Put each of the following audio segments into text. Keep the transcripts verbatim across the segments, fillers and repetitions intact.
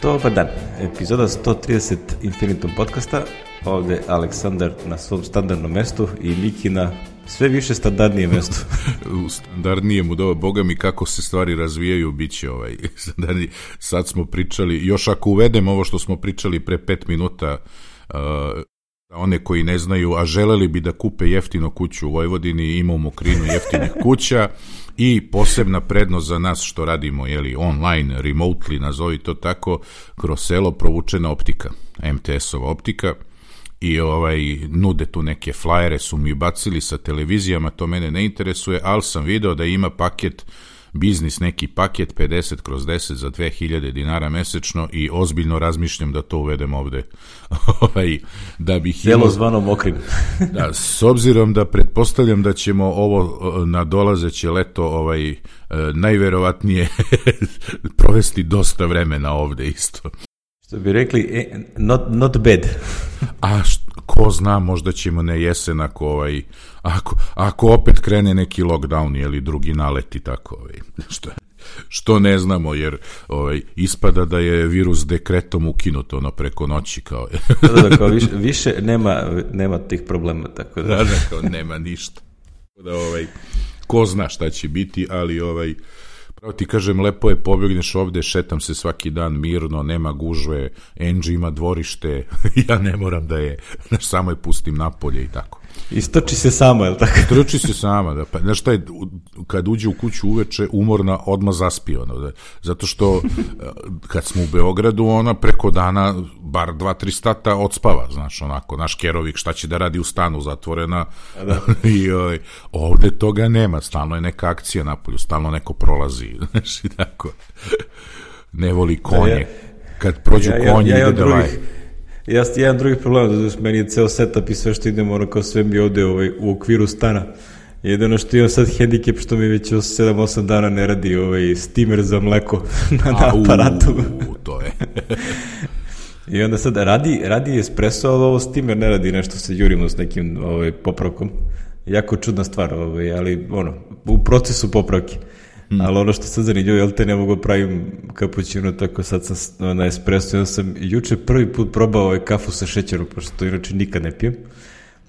Dobar dan, epizoda sto trideset Infinitum podcasta, ovde Aleksandar na svom standardnom mestu i Miki na sve više standardnijem mestu. U standardnijem, u doba, boga mi kako se stvari razvijaju, bit će ovaj standardni. Sad smo pričali, još ako uvedem ovo što smo pričali pre pet minuta, uh, one koji ne znaju, a želeli bi da kupe jeftino kuću u Vojvodini, ima u Mokrinu jeftinih kuća i posebna prednost za nas što radimo, jeli, online, remotely, nazovi to tako, kroz selo provučena optika, em te es-ova optika, i ovaj, nude tu neke flajere, su mi bacili sa televizijama, to mene ne interesuje, ali sam video da ima paket, biznis neki paket pedeset kroz deset za dve hiljade dinara mesečno i ozbiljno razmišljam da to uvedem ovde. ovaj, da bih Selo imao, zvano Mokrin. da, s obzirom da pretpostavljam da ćemo ovo na dolazeće leto ovaj, najverovatnije provesti dosta vremena ovde isto. Što bi rekli, not, not bad. A št, ko zna, možda ćemo na jesen ako, ovaj, ako, ako opet krene neki lockdown ili drugi naleti tako, ovaj, što, što ne znamo, jer ovaj, ispada da je virus dekretom ukinuto ono preko noći. Kao. da, da, kao više, više nema, nema tih problema. Tako da. Da, da, kao nema ništa. Da, ovaj, ko zna šta će biti, ali ovaj, pravo ti kažem, lepo je, pobjegneš ovde, šetam se svaki dan mirno, nema gužve, Angie ima dvorište, ja ne moram da je, znaš, samo je pustim napolje i tako. Istoči se sama, je li tako? Istoči se sama, da, pa, znaš šta je, kad uđe u kuću uveče, umorna, odmah zaspi, ono, da, zato što kad smo u Beogradu, ona preko dana, bar dva, tri sata odspava, znaš, onako, naš Kerovik, šta će da radi u stanu, zatvorena, da. I oj, ovde toga nema, stalno je neka akcija napolju, stalno neko prolazi, znaš, i tako, ne voli konje, ja, kad prođu ja, konje, ja, ja, ide da laje. Ja sam jedan drugi problem, da meni je ceo setup i sve što idemo, ono kao sve mi ovde ovaj, u okviru stana. Jedino što imam sad hendikep, što mi već sedam osam dana ne radi ovaj steamer za mleko na, na aparatu. U, to je. I onda sad radi, radi espresso, ali ovo steamer ne radi, nešto se jurimo s nekim ovaj, popravkom. Jako čudna stvar, ovaj, ali ono, u procesu popravke. Hmm. Ali ono što sad zanimljivo, jel te ne mogu pravim kapućino, tako sad sam na espresso, ja sam juče prvi put probao ovaj kafu sa šećerom, pošto to inače nikad ne pijem,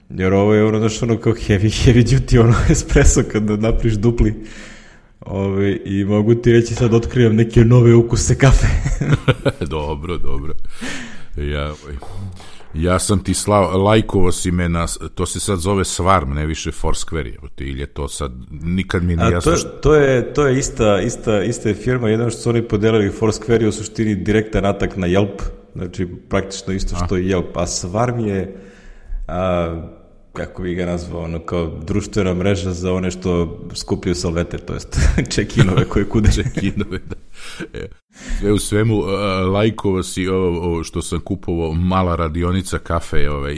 jer ovo je ono, znaš, ono kao heavy, heavy duty, ono espresso kad napriš dupli, Ove, i mogu ti reći sad otkrivam neke nove ukuse kafe. Dobro, dobro. Ja, ja sam ti slao, lajkovo si me na, to se sad zove Svarm, ne više Foursquare, ili je to sad, nikad mi nije jasno. To, to je, to je ista, ista, ista je firma, jedno što su oni podelili Foursquare je u suštini direktan atak na Yelp, znači praktično isto što a. je Yelp, a Svarm je, a, kako bi ga nazvao, ono kao društvena mreža za one što skupljaju salvete, to jest check-inove koje kude. Check-inove, da. E, sve u svemu, uh, lajkova si ovo, ovo što sam kupovao, mala radionica kafe, ovaj,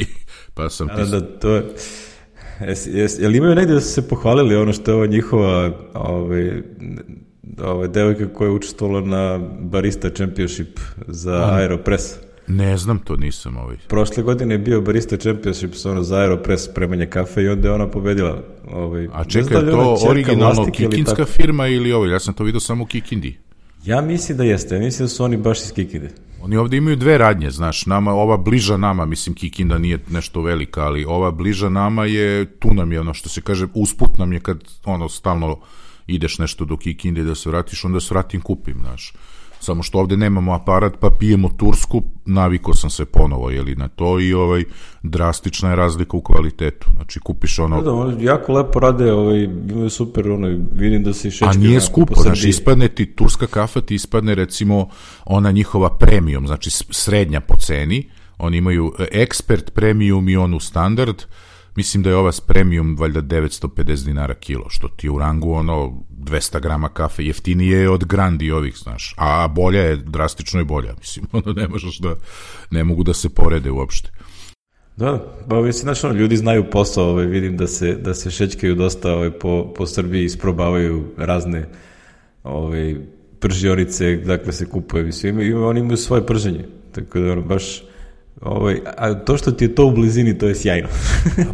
pa sam... Da, da, to je... Jes, jes, jel imaju negdje da su se pohvalili ono što je ova njihova ovaj, ovaj, devojka koja je učestvovala na Barista Championship za Aha. Aeropress? Ne znam, to nisam ovaj. Prošle godine je bio Barista Championship ono, za Aeropress spremanje kafe i onda je ona pobedila. Ovaj, A čekaj, je to originalno kikinska ili firma ili ovo? Ja sam to vidio samo u Kikindi. Ja mislim da jeste, ja mislim da su oni baš iz Kikinde. Oni ovdje imaju dve radnje, znaš, nama, ova bliža nama, mislim Kikinda nije nešto velika, ali ova bliža nama je, tu nam je ono što se kaže, usput nam je kad ono stalno ideš nešto do Kikinde da se vratiš, onda se vratim kupim, znaš. Samo što ovdje nemamo aparat pa pijemo tursku, navikao sam se ponovo jeli, na to i ovaj, drastična je razlika u kvalitetu. Znači kupiš ono... Da, oni jako lepo rade, ovaj, imaju super, ono, vidim da se šečke... A nije skupo, znači ispadne ti turska kafa, ti ispadne recimo ona njihova premium, znači srednja po ceni, oni imaju expert premium i onu standard, mislim da je ova s premium valjda devetsto pedeset dinara kilo, što ti u rangu ono dvesta grama kafe, jeftinije je od Grandi ovih, znaš, a bolja je, drastično je bolja, mislim, ono ne možeš da, ne mogu da se porede uopšte. Da, pa mislim, znaš, ono, ljudi znaju posao, ovaj, vidim da se, da se šećkaju dosta ovaj, po, po Srbiji, isprobavaju razne ovaj, pržionice, dakle se kupuje, mislim, ima, oni imaju svoje prženje, tako da ono, baš Ovaj, a to što ti je to u blizini, to je sjajno.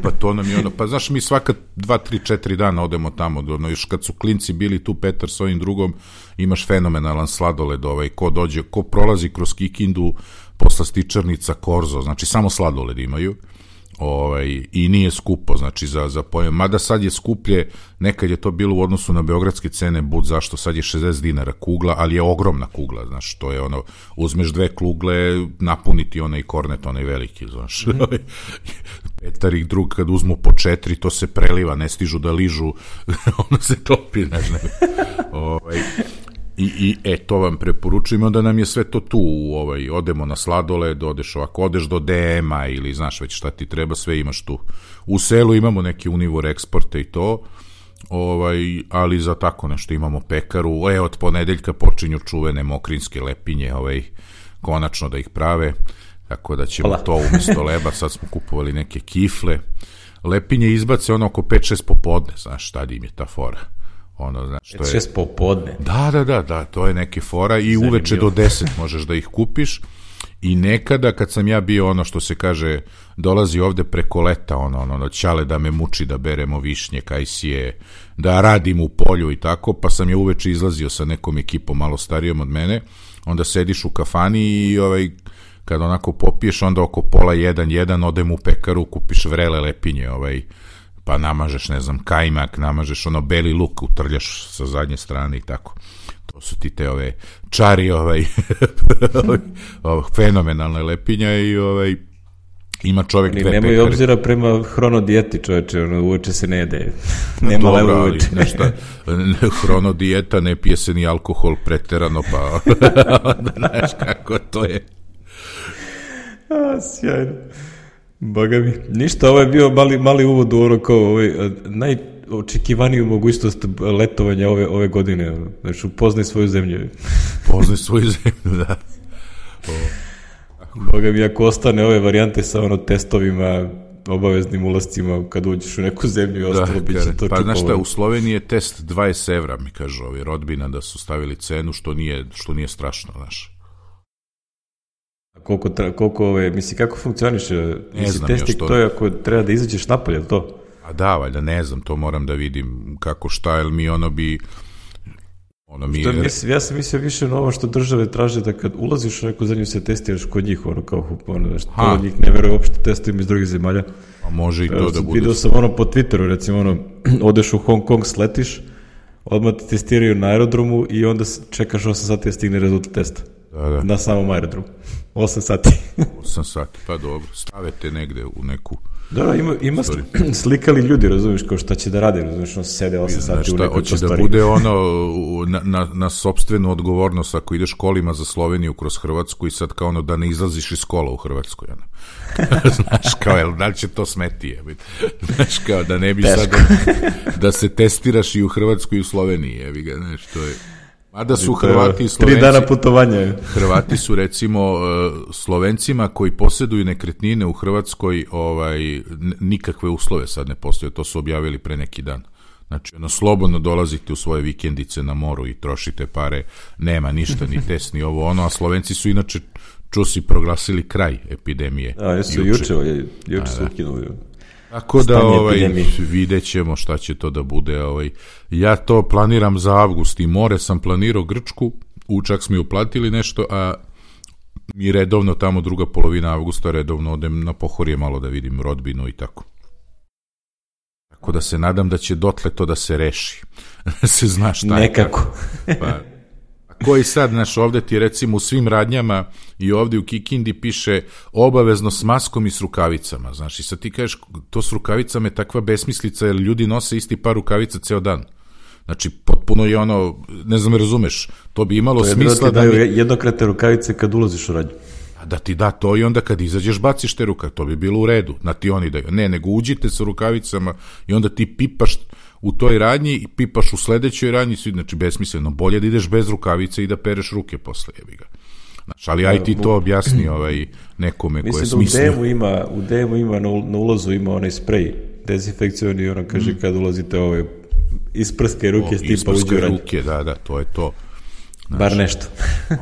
Pa to nam je ono, pa znaš, mi svaka dva, tri, četiri dana odemo tamo, ono, još kad su klinci bili tu, Petar s ovim drugom, imaš fenomenalan sladoled, ovaj, ko dođe, ko prolazi kroz Kikindu, poslastičarnica Korzo, znači samo sladoled imaju, ovaj, i nije skupo, znači za, za pojem, mada sad je skuplje, nekad je to bilo u odnosu na beogradske cene, bud zašto, sad je šezdeset dinara kugla, ali je ogromna kugla, znaš, to je ono, uzmeš dve kugle, napuniti onaj kornet, onaj veliki, znaš, mm. Petar i drug kad uzmu po četiri, to se preliva, ne stižu da ližu, ono se topi, znaš, ne, ovaj, I, i e, to vam preporučujem, onda nam je sve to tu, ovaj, odemo na sladoled, odeš ovako, odeš do D M-a ili znaš već šta ti treba, sve imaš tu. U selu imamo neke Univor eksporte i to, ovaj, ali za tako nešto imamo pekaru, e, od ponedeljka počinju čuvene mokrinske lepinje, ovaj, konačno da ih prave, tako da ćemo Hvala. To umjesto leba, sad smo kupovali neke kifle, lepinje izbace ono oko pet šest popodne, znaš, tad im je ta fora. Ono, znaš, to je šest popodne. Da, da, da, da, to je neke fora i Zanimljivo. Uveče do deset možeš da ih kupiš i nekada kad sam ja bio ono što se kaže dolazi ovde preko leta ono, ono, ono ćale da me muči da beremo višnje, kajsije, da radim u polju i tako, pa sam ja uveče izlazio sa nekom ekipom malo starijom od mene, onda sediš u kafani i ovaj, kad onako popiješ onda oko pola jedan, jedan odem u pekaru, kupiš vrele lepinje, ovaj, pa namažeš, ne znam, kajmak, namažeš ono beli luk, utrljaš sa zadnje strane i tako. To su ti te ove čari, ovaj, ovaj fenomenalne lepinja i ovaj, ima čovjek dve pekare. Nemoj obzira prema hronodijeti, čoveče, ono, uveče se ne jede. Nema levo uveče. Nešto, hronodijeta, ne pije se ni alkohol preterano, pa onda znaš kako to je. A, sjajno. Boga mi. Ništa, ovo je bio mali, mali uvod u ono kao ovaj, najočekivaniju mogućnost letovanja ove, ove godine. Znači, upoznaj svoju zemlju. Poznaj svoju zemlju, da. O. Boga mi, ako ostane ove varijante sa ono testovima, obaveznim ulascima, kad uđeš u neku zemlju i ostalo, da, bit će to pa čupovo. znaš šta, u Sloveniji je test dvadeset evra, mi kažu ovi rodbina da su stavili cenu, što nije, što nije strašno, znaš. Koliko, koliko ove, misli, kako funkcioniše? Misli, testik, to je ako treba da izađeš napolje, to? A da, valjda, ne znam, to moram da vidim kako šta, jer mi ono bi... Ono mi... Što, mislim, ja sam mislio više na ovo što države traže da kad ulaziš u neku zemlju se testiraš kod njih, ono kao, ono, što to njih ne veruje uopšte testovima iz drugih zemalja. A može i to da bude... Vidio sam ono po Twitteru, recimo, ono, odeš u Hong Kong, sletiš, odmah te testiraju na aerodromu i onda čekaš osam sati da stigne rezultat testa. Da, da. Na samom aerodromu. osam sati. osam sati, pa dobro. Stavete negde u neku... Da, da, ima, ima slikali ljudi, razumiješ, kao šta će da radi, razumiješ, on sede osam sati šta, u nekoj hoće da bude ono na, na, na sopstvenu odgovornost ako ideš kolima za Sloveniju kroz Hrvatsku i sad kao ono da ne izlaziš iz kola u Hrvatskoj, ono. Znaš, kao, jel, da li će to smeti, jebi. Znaš, kao, da ne bi sad da se testiraš i u Hrvatskoj i u Sloveniji, jebi ga, znaš, to je... Mada su Hrvati i Slovenci... Tri dana putovanja. Hrvati su, recimo, Slovencima koji posjeduju nekretnine u Hrvatskoj, ovaj, nikakve uslove sad ne postoje, to su objavili pre neki dan. Znači, ono, slobodno dolazite u svoje vikendice na moru i trošite pare, nema ništa, ni test, ni ovo, ono, a Slovenci su inače, čusi, proglasili kraj epidemije. A, jesu, juče, juče, juče su ukinuli. Tako da ovaj, vidjet ćemo šta će to da bude. Ovaj. Ja to planiram za avgust i more sam planirao Grčku, čak smo i uplatili nešto, a mi redovno tamo druga polovina avgusta redovno odem na Pohorje malo da vidim rodbinu i tako. Tako da se nadam da će dotle to da se reši. se zna šta je. Nekako. Pa, koji sad, znaš, ovde ti recimo u svim radnjama i ovde u Kikindi piše obavezno s maskom i s rukavicama, znaš, i sad ti kažeš to s rukavicama je takva besmislica jer ljudi nose isti par rukavica ceo dan. Znači, potpuno je ono, ne znam, razumeš, to bi imalo to smisla da... To je da ti daju jednokratne rukavice kad ulaziš u radnju. Da ti da to i onda kad izađeš baciš te rukavice, to bi bilo u redu, na ti oni daju. Ne, nego uđite sa rukavicama i onda ti pipaš u toj radnji i pipaš u sledećoj radnji, znači besmisleno, bolje da ideš bez rukavice i da pereš ruke posle, jebi ga. Znači, ali aj ti to objasni ovaj, nekome ko je smislio. Mislim da u D M-u ima, u D M-u ima, na, na ulazu ima onaj sprej, dezinfekcioni, ono kaže mm. kad ulazite ove isprske ruke, o, stipa uđe u radnju. Ruke, da, da, to je to. Znači, bar nešto.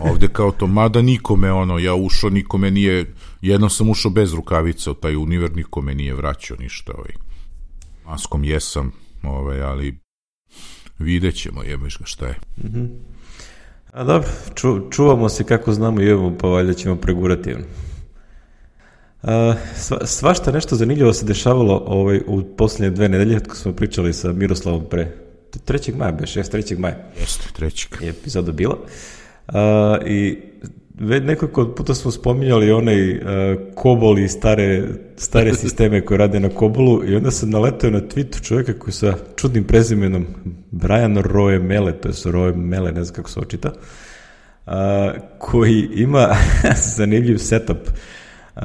ovde kao to, mada nikome, ono, ja ušao, nikome nije, Jednom sam ušao bez rukavica, taj univer niko me nije vraćao ništa, ovaj. Maskom jesam, ovaj, ali vidjet ćemo, jebeš ga šta je. Mm-hmm. A dobro, ču, čuvamo se kako znamo i evo, pa valjda ćemo pregurati. A, sva, svašta nešto zanimljivo se dešavalo ovaj, u posljednje dve nedelje, kad smo pričali sa Miroslavom pre trećeg maja, beš, jest trećeg maja. Jeste, trećeg. Je epizoda bila. A, I već nekoliko puta smo spominjali onaj uh, Kobol i stare, stare sisteme koje rade na Kobolu i onda sam naletao na tweetu čovjeka koji sa čudnim prezimenom Brian Roemele, to je Roemele, ne znam kako se očita, uh, koji ima zanimljiv setup. Uh,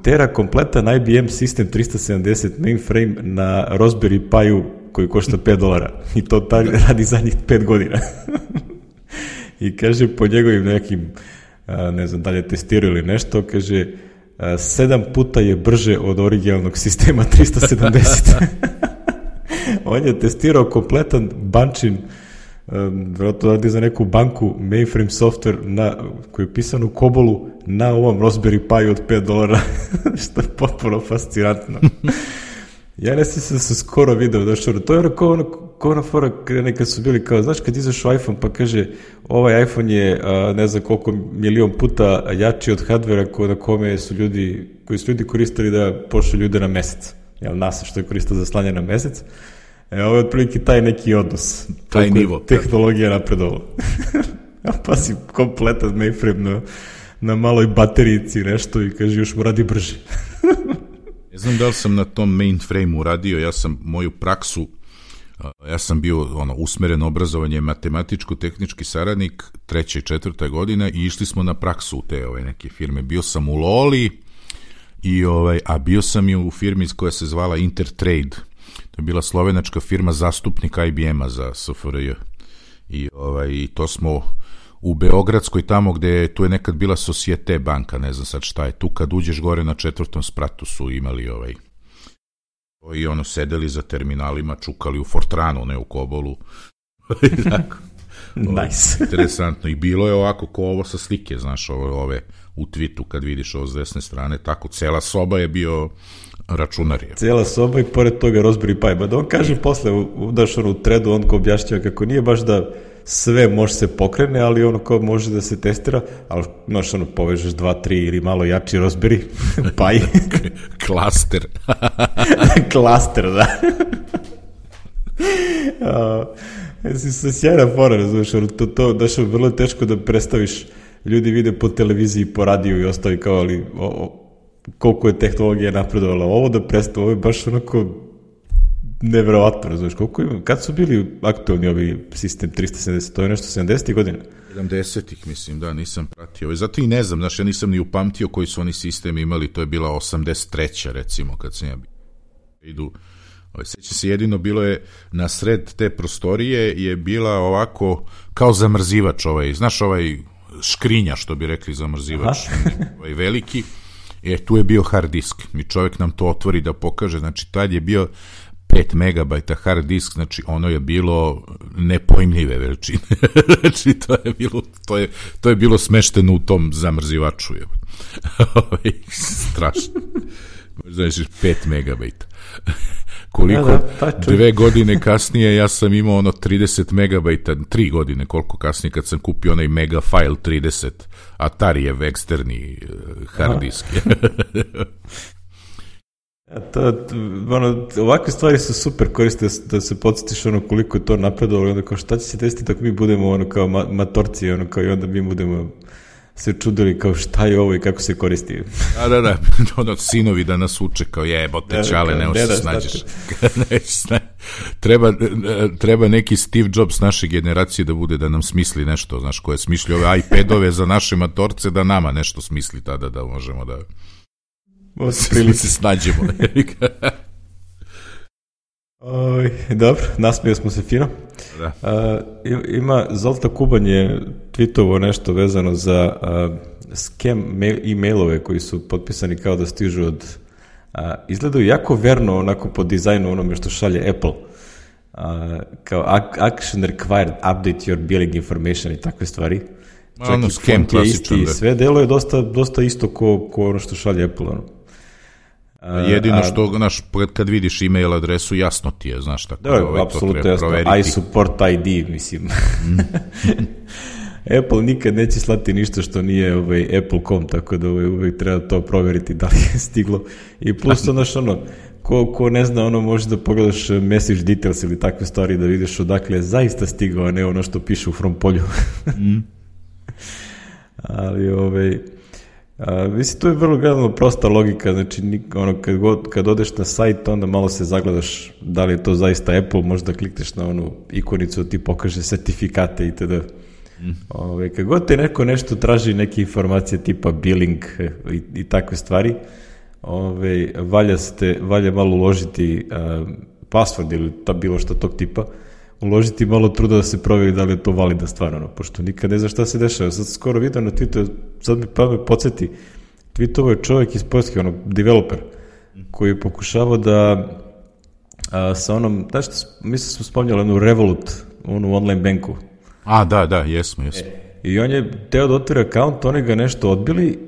tera kompletan I B M sistem trista sedamdeset mainframe na Raspberry Pi-u koji košta pet dolara i to ta, radi zadnjih pet godina. I kaže po njegovim nekim, ne znam da li je testirao ili nešto, kaže sedam puta je brže od originalnog sistema trista sedamdeset. On je testirao kompletan bančin, vjerojatno radi za neku banku, mainframe software na, koji je pisan u Kobolu na ovom Raspberry Pi od pet dolara, što je potpuno fascinantno. Ja ne sam se, se skoro video došao, to je ono kao ono, kao ono fora nekad su bili kao, znaš kad izašao iPhone pa kaže ovaj iPhone je a, ne znam koliko milion puta jači od hardvera ko, na kome su ljudi, koji su ljudi koristili da pošli ljude na mesec, jel NASA što je koristio za slanje na mesec, e, ovo je otprilike taj neki odnos, taj nivo, tehnologija napredovala. A pa si kompletan mainframe na, na maloj baterijici nešto i kaže još mu radi brže. Ne znam da li sam na tom mainframe-u radio, ja sam moju praksu, ja sam bio ono, usmeren obrazovanje matematičko-tehnički saradnik treća i četvrta godina i išli smo na praksu u te ove neke firme. Bio sam u Loli, i, ovaj, a bio sam i u firmi koja se zvala Intertrade. To je bila slovenačka firma zastupnik I B M-a za S F R J. I, ovaj, i to smo u Beogradskoj, tamo gde je, tu je nekad bila Societe banka, ne znam sad šta je, tu kad uđeš gore na četvrtom spratu su imali ovaj, i ono, sedeli za terminalima, čukali u Fortranu, ne u Kobolu. Tako. Nice. Interesantno. I bilo je ovako ko ovo sa slike, znaš, ove, ove u tweetu kad vidiš ovo s desne strane, tako, cela soba je bio računarija. Cijela soba i pored toga Raspberry Pi. Ba da on kaže posle, udaš ono u threadu, on ko objašnjava kako nije baš da sve može se pokrene, ali ono kao može da se testira, ali znaš ono povežeš dva, tri ili malo jači Raspberry Pi. Klaster. Klaster, da. uh, se sjajna fora, razumiješ, to, to daš vrlo teško da predstaviš, ljudi vide po televiziji, po radiju i ostavi kao, ali o, o, koliko je tehnologija napredovala, ovo da predstavi, ovo je baš onako neverovatno, razumiješ, koliko ima, kad su bili aktualni ovi sistem trista sedamdeset, to je nešto sedamdesetih godina? sedamdesetih, mislim, da, nisam pratio. Zato i ne znam, znaš, ja nisam ni upamtio koji su oni sistemi imali, to je bila osamdeset treća recimo, kad sam ja idu. Seća se, jedino bilo je na sred te prostorije je bila ovako kao zamrzivač ovaj, znaš ovaj škrinja što bi rekli zamrzivač, ovaj veliki, e, tu je bio hard disk i čovjek nam to otvori da pokaže, znači tad je bio pet megabajta hard disk, znači ono je bilo nepojmljive veličine. Znači to je bilo to je, to je bilo smešteno u tom zamrzivaču. Strašno. Znači pet megabajta. Koliko da, da, dve godine kasnije ja sam imao ono trideset megabajta, tri godine koliko kasnije kad sam kupio onaj Megafile trideset, Atarijev eksterni hard disk. Ja, to, ono, ovakve stvari su super, koriste da se podsjetiš ono koliko je to napredovalo, onda kao šta će se desiti ako mi budemo ono kao ma, matorci, ono kao i onda mi budemo se čudili kao šta je ovo i kako se koristi. Da, da, da, ono, sinovi da nas uče kao jebote čale, ne možeš se snađeš. treba, treba neki Steve Jobs naše generacije da bude da nam smisli nešto, znaš, koje smišlji ove iPadove za naše matorce, da nama nešto smisli tada da možemo da prilici se snađemo. Oj, dobro, nasmio smo se fino. Da. Uh, ima, Zolta Kuban je tweetovo nešto vezano za uh, scam mail, e-mailove koji su potpisani kao da stižu od uh, izgledaju jako verno onako po dizajnu onome što šalje Apple. Uh, kao action required, update your billing information i takve stvari. Čak ono, i font je isti, da. Sve delo je dosta, dosta isto ko, ko ono što šalje Apple. Ono. A, jedino što, znaš, kad vidiš email adresu, jasno ti je, znaš, tako da, da ovaj, to treba jasno. Proveriti. I support I D, mislim. Mm. Apple nikad neće slati ništa što nije ovaj, apple dot com, tako da ovaj, uvijek treba to proveriti da li je stiglo. I plus, znaš, ono, ko, ko ne zna, ono, možeš da pogledaš message details ili takve stvari da vidiš odakle je zaista stigao, a ne ono što piše u from polju. mm. Ali, ovaj... A, mislim, to je vrlo gledano prosta logika, znači ono, kad, god, kad odeš na sajt, onda malo se zagledaš da li je to zaista Apple, možda klikneš na onu ikonicu da ti pokaže sertifikate itd. Mm. Ove, kad god te neko nešto traži, neke informacije tipa billing i, i takve stvari, ove, valja, ste, valja malo uložiti uh, password ili ta, bilo što tog tipa, uložiti malo truda da se proveri da li je to validna stvar, ono, pošto nikad ne zna šta se dešava. Sad skoro vidio na Twitteru, sad mi pa me podsjeti, tweetovao je čovjek iz Poljske, ono, developer, koji je pokušavao da a, sa onom, znaš što, mislim smo spomnjali onu Revolut, onu online banku. A, da, da, jesmo, jesmo. E, I on je teo da otvori account, oni ga nešto odbili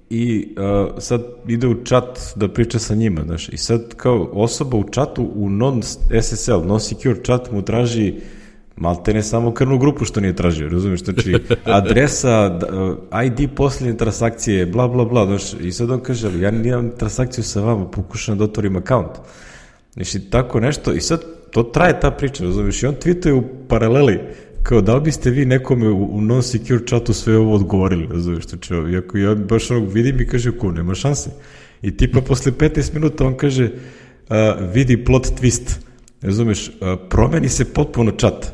i uh, sad ide u chat da priča sa njima, znaš, i sad kao osoba u chatu u non-S S L, non-secure chat mu traži malte ne samo krvnu grupu što nije tražio, razumiješ, znači adresa, I D posljednje transakcije, bla bla bla, znaš, i sad on kaže, ali ja nimam transakciju sa vama, pokušam da otvorim account, znači tako nešto, i sad to traje ta priča, razumiješ, i on tweetuje u paraleli, kao da li biste vi nekome u, u non-secure chatu sve ovo odgovorili, razumiješ, znači, iako ja baš onog vidim i kaže, ko, nema šanse. I tipa posle petnaest minuta on kaže, uh, vidi plot twist, razumiješ, uh, promeni se potpuno chat,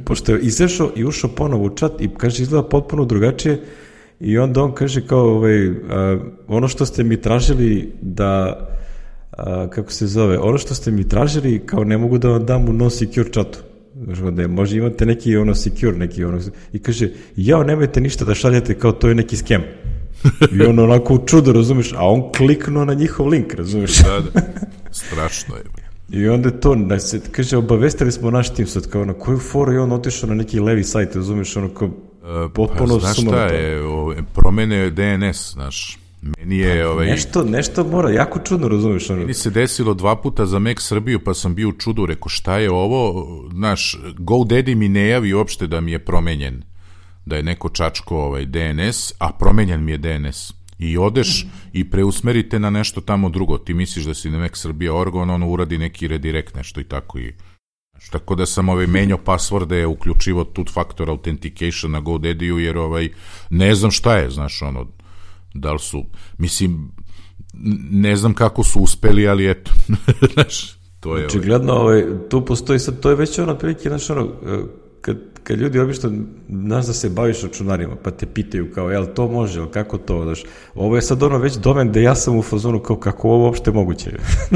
pošto je izašao i ušao ponovo u chat i kaže, izgleda potpuno drugačije i onda on kaže kao, ovaj, uh, ono što ste mi tražili da, uh, kako se zove, ono što ste mi tražili kao ne mogu da vam dam u non-secure chatu. Da možda imate neki ono secure, neki ono, i kaže, jao, nemojte ništa da šaljete, kao to je neki skem. I on onako u čudo, razumiješ, a on kliknuo na njihov link, razumiješ. Da, da, strašno je. I onda je to, da se, kaže, obavestili smo naš tim sad, kao na koju foru je on otišao na neki levi sajt, razumiješ, ono kao, potpuno uh, pa, znaš šta je, o, promene D N S, znaš, meni je pa, ovaj... Nešto, nešto mora, jako čudno, razumiješ. Ono. Meni se desilo dva puta za Mac Srbiju, pa sam bio u čudu, rekao, šta je ovo, znaš, GoDaddy mi ne javi uopšte da mi je promenjen, da je neko čačko ovaj D N S, a promenjen mi je D N S. I odeš i preusmerite na nešto tamo drugo, ti misliš da si na Mac Srbija organ, ono uradi neki redirect, nešto i tako i... Tako da sam ovaj menjao passworde, uključivo two-factor authentication na GoDaddy-u, jer ovaj, ne znam šta je, znaš, ono, da li su, mislim, ne znam kako su uspeli, ali eto, znaš, to je... Očigledno, ovaj, tu postoji sad, to je već ono prilike, znaš, ono, kad, kad ljudi obično, znaš da se baviš računarima, pa te pitaju kao, jel to može, jel kako to, znaš, ovo je sad ono već domen da ja sam u fazonu kao kako ovo uopšte moguće.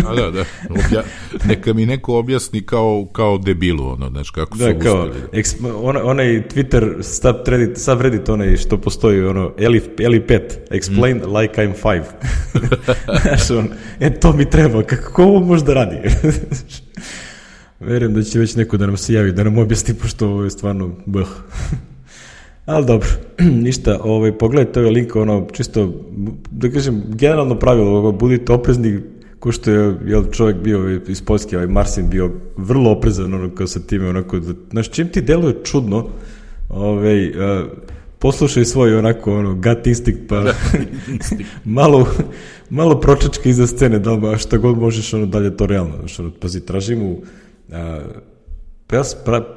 A da, da, Obja, neka mi neko objasni kao, kao debilu, ono, znaš, kako da, su kao, uspeli. Eksp, on, onaj Twitter subreddit, subreddit onaj što postoji, ono, Eli pet, explain mm. like I'm five. Znaš, on, e, to mi treba, kako ovo može da radi? Verujem da će već neko da nam se javi, da nam objasni, pošto ovo je stvarno bh. Ali dobro, ništa, ovaj, pogledajte ovaj link, ono, čisto, da kažem, generalno pravilo, budite oprezni, ko što je jel, čovjek bio iz Poljske, ovaj Marcin bio vrlo oprezan, ono, kao sa time, onako, da, znaš, čim ti deluje čudno, ovaj, uh, poslušaj svoj, onako, ono, gut instinct, pa malo, malo pročačka iza scene, da li, šta god možeš, ono, dalje to realno, znaš, ono, pazi, tražim u Uh,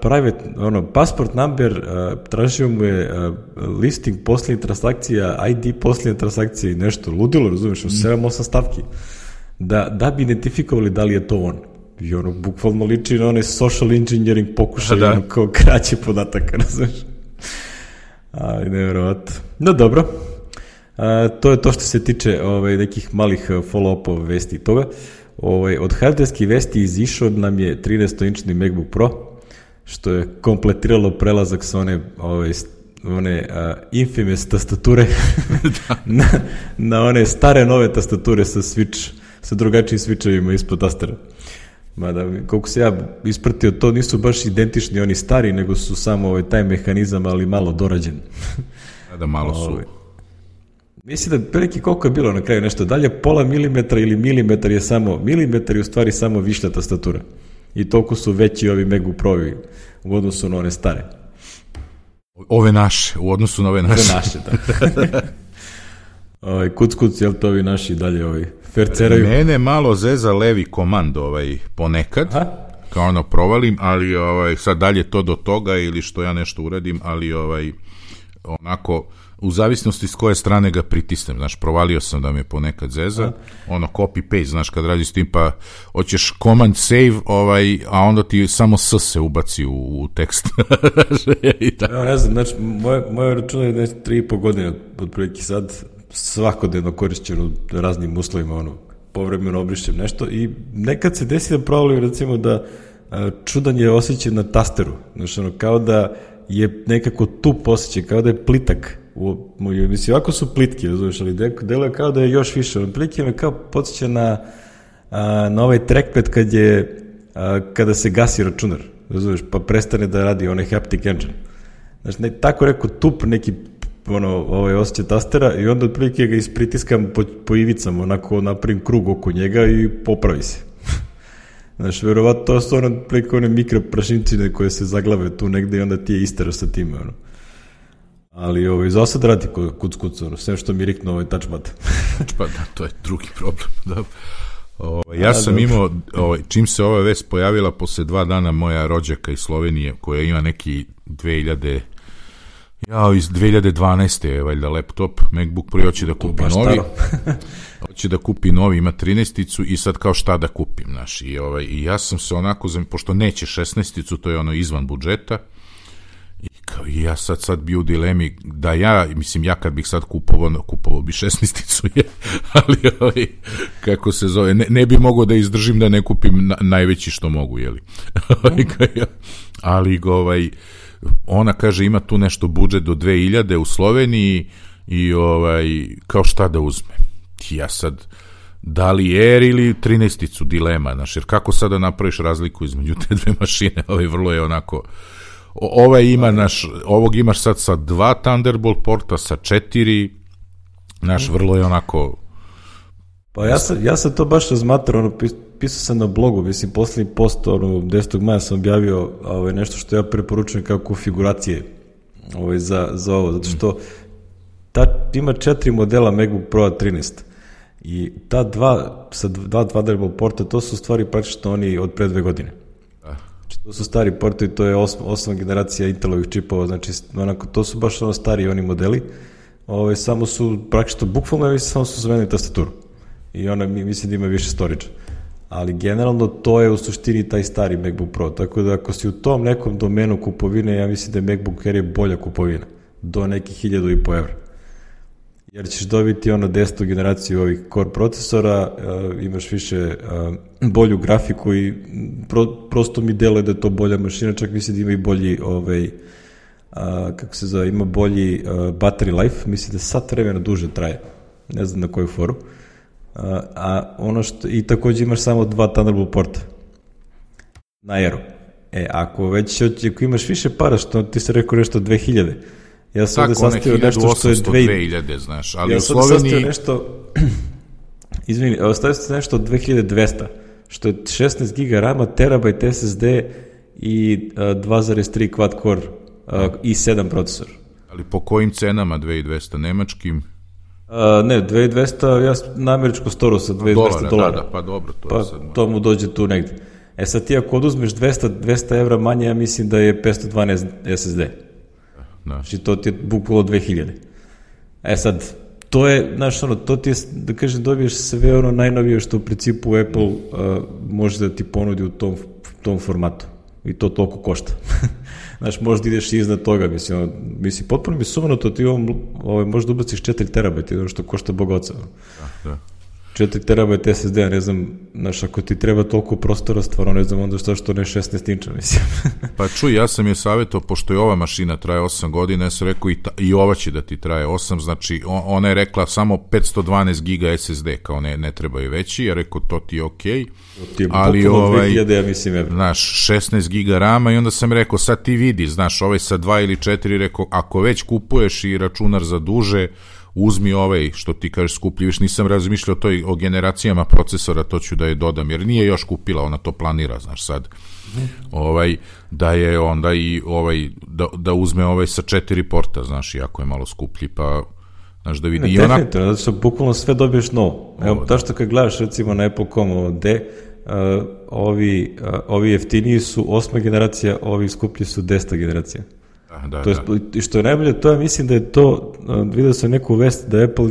private, ono, passport number, uh, tražio mu je uh, listing posljednjih transakcija, I D posljednjih transakcija i nešto, ludilo, razumiješ, u sedam osam stavki, da, da bi identifikovali da li je to on. I ono, bukvalno liči na onaj social engineering pokušaj, ono, kao kraće podataka, razumiješ. Ali nevjerovatno. No dobro, uh, to je to što se tiče ovaj, nekih malih follow-upova vesti i toga. Ovaj, od hardverskih vesti izišao nam je trinaestoinčni MacBook Pro, što je kompletiralo prelazak sa one, ove, one uh, infamous tastature na, na one stare nove tastature sa switch, sa drugačijim switchovima ispod tastera. Mada, koliko se ja ispratio, to nisu baš identični oni stari, nego su samo ovaj, taj mehanizam, ali malo dorađen. Da, malo su... Ove, mislim da prilike koliko je bilo na kraju nešto dalje, pola milimetra ili milimetar je samo, milimetar je u stvari samo višlja tastatura. I toliko su veći ovi MacBook Pro-ovi u odnosu na one stare. Ove naše, u odnosu na ove naše. Ove naše, da. Ovaj, kuc, kuc, jel to ovi naši dalje ovaj, ferceraju? Mene malo zeza levi komand ovaj, ponekad, Aha. kao ono provalim, ali ovaj, sad dalje to do toga ili što ja nešto uradim, ali ovaj, onako, u zavisnosti s koje strane ga pritisnem, znaš, provalio sam da me ponekad zeza, Aha. ono copy-paste, znaš, kad radiš s tim, pa hoćeš command save, ovaj, a onda ti samo s se ubaci u, u tekst. Ja, ne znam, znači, moje, moje račune je tri i po godine otprilike sad, svakodnevno korišćeno u raznim uslovima, ono, povremeno obrišćem nešto i nekad se desi da provalim, recimo, da a, čudan je osjećaj na tasteru, znači, ono, kao da je nekako tup osjećaj, kao da je plitak. U, mislim, ovako su plitki, razumiješ, ali deluje kao da je još više. On plitki me kao podsjeća na, a, na ovaj trackpad kad je, a, kada se gasi računar, razumiješ, pa prestane da radi onaj haptic engine. Znači, ne, tako rekao tup neki ono, ovaj osjećaj tastera i onda otprilike ga ispritiskam po, po ivicama, onako napravim krug oko njega i popravi se. Znači, verovatno to su ono, otprilike one mikroprašinčine koje se zaglave tu negde i onda ti je isteraš sa time, ono. Ali ovaj, za sad radi kuc kuc, ono, sve što mi riknu ovaj touchpad. Pa da, to je drugi problem, da. O, ja A, sam dobro. imao, o, čim se ova vest pojavila, posle dva dana moja rođaka iz Slovenije, koja ima neki dve hiljade Ja, iz dve hiljade dvanaeste je valjda laptop, MacBook Pro, hoće da kupi novi. Hoće da kupi novi, ima trinaesticu i sad kao šta da kupim, znaš. I, ovaj, i ja sam se onako, pošto neće šesnaesticu, to je ono izvan budžeta, i, kao, i ja sad sad bi u dilemi da ja, mislim, ja kad bih sad kupovao, kupovao bi šesnaesticu, je, ali ovaj, kako se zove, ne, ne bi mogao da izdržim da ne kupim na, najveći što mogu, jeli. Ali, ovaj, ona kaže ima tu nešto budžet do dve hiljade u Sloveniji i ovaj, kao šta da uzme. Ja sad, da li Air ili trinaesticu, dilema, znaš, jer kako sada napraviš razliku između te dve mašine, ovaj vrlo je onako, ovaj ima, naš, ovog imaš sad sa dva Thunderbolt porta, sa četiri, naš, vrlo je onako... Pa ja sam, ja sam to baš razmatrao, ono, pisao sam na blogu, mislim, poslednji post, ono, desetog maja sam objavio ovaj, nešto što ja preporučujem kao konfiguracije ovaj, za, za ovo, zato što ta, ima četiri modela MacBook Pro trinaest i ta dva, sa dva Thunderbolt porta, to su stvari praktično oni od pre dve godine. Znači, to su stari portovi, to je osma, osma generacija Intelovih čipova, znači, onako, to su baš ono stari oni modeli, ovaj, samo su praktično, bukvalno, samo su zamenili tastaturu. I ona mislim da ima više storage. Ali generalno to je u suštini taj stari MacBook Pro. Tako da ako si u tom nekom domenu kupovine, ja mislim da je MacBook Air je bolja kupovina. Do nekih hiljadu i po evra. Jer ćeš dobiti ono desetu generaciju ovih core procesora, uh, imaš više uh, bolju grafiku i pro, prosto mi deluje da je to bolja mašina, čak mislim da ima i bolji ovaj, uh, kako se zove, ima bolji uh, battery life, mislim da sat vremena duže traje. Ne znam na koju foru. Uh, a ono što, i takođe imaš samo dva Thunderbolt porta na Airu. E, ako već, ako imaš više para, što ti se rekao nešto dve hiljade, ja sam ovde sastavio nešto što je dve hiljade, znaš, ali ja u Sloveniji... Ja sam sastavio nešto, izvini, ostavio sam nešto dve hiljade dvesta, što je šesnaest giga rama, terabajt es es de i uh, dva zarez tri quad core uh, i sedam procesor. Ali po kojim cenama dve hiljade dvesta, nemačkim? Uh, ne, dve hiljade dvesta, ja na američku storu sa dve hiljade dvesta dolara. Da, da, pa dobro, to pa je sad... to mu dođe tu negde. E sad ti ako oduzmeš dvesta, dvesta evra manje, ja mislim da je petsto dvanaest es es de. Da. Znači to ti je bukvalo dve hiljade. E sad, to je, znaš, ono, to ti je, da kažem, dobiješ sve ono najnovije što u principu Apple uh, može da ti ponudi u tom, tom formatu. I to toliko košta. Znaš, možda ideš iznad toga, mislim, ono, mislim, potpuno mi sumanuto, ti ovom, ovaj, možda ubaciš četiri terabajta, ono što košta Boga oca. Da, da. četiri terabajta S S D-a, ne znam, znaš, ako ti treba toliko prostora, stvarno ne znam onda što što ne šesnaest inča, mislim. Pa čuj, ja sam je savjetao, pošto je ova mašina traje osam godina, ja sam rekao i, ta, i ova će da ti traje osam, znači on, ona je rekla samo petsto dvanaest giga S S D, kao ne, ne trebaju veći, ja rekao to ti je okej, okay, ali ovaj, dve hiljade, ja mislim, je. Znaš, šesnaest giga rama i onda sam rekao, sad ti vidi, znaš, ovaj sa dva ili četiri, rekao, ako već kupuješ i računar za duže, uzmi ovaj, što ti kažeš skuplji, viš nisam razmišljao toj, o generacijama procesora, to ću da je dodam, jer nije još kupila, ona to planira, znaš sad, ovaj, da je onda i ovaj, da, da uzme ovaj sa četiri porta, znaš, iako je malo skuplji, pa, znaš, da vidi. Ne, i ona... definitivno, da se bukvalno sve dobiješ novo. Evo, da što kad gledaš, recimo, na Apple dot com D, uh, ovi, uh, ovi jeftiniji su osma generacija, ovi skuplji su deseta generacija. Da, to je, da. Što je najbolje, to je, mislim da je to, vidio sam neku vest da Apple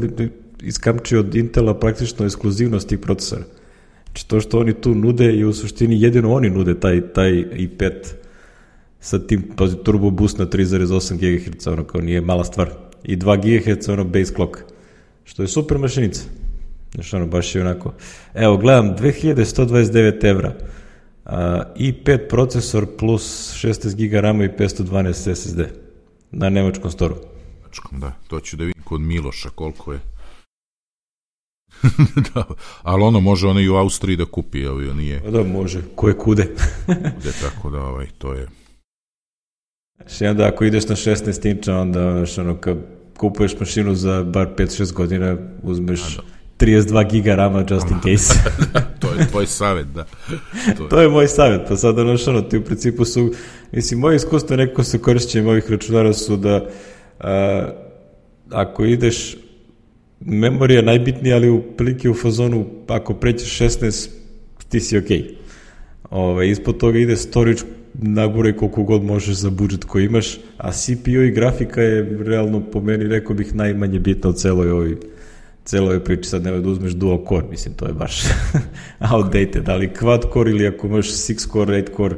iskamči od Intela praktično ekskluzivnost tih procesora. Znači to što oni tu nude i u suštini jedino oni nude taj, taj i pet sa tim turbo boost na tri zarez osam gigaherca, ono kao nije mala stvar. I dva gigaherca ono base clock, što je super mašinica. Znači ono baš je onako. Evo, gledam, dve hiljade sto dvadeset devet evra. Uh, i pet procesor plus šesnaest giga rama i petsto dvanaest S S D na nemačkom storu. Da, to ću da vidim kod Miloša koliko je. Da, ali ono može ono i u Austriji da kupi, ali nije. Da, može, koje kude. Kude, tako da ovaj, to je. Znači, onda ako ideš na šesnaest inča, onda ono, kad kupuješ mašinu za bar pet šest godina, uzmeš trideset dva giga rama just in case. To je tvoj savjet, da. To je, to je moj savjet, pa sad ono što ono, ti u principu su, mislim, moje iskustvo nekako sa korišćenjem ovih računara su da a, ako ideš, memorija najbitnija, ali u prilike u fazonu, ako prećeš šesnaest, ti si okej. Okay. Ove, ispod toga ide storage, naguraj koliko god možeš za budžet koji imaš, a C P U i grafika je realno po meni, rekao bih, najmanje bitna u celoj ovoj celoj priči. Sad nema da uzmeš dual core, mislim, to je baš outdated, ali quad core ili ako imaš six core, eight core,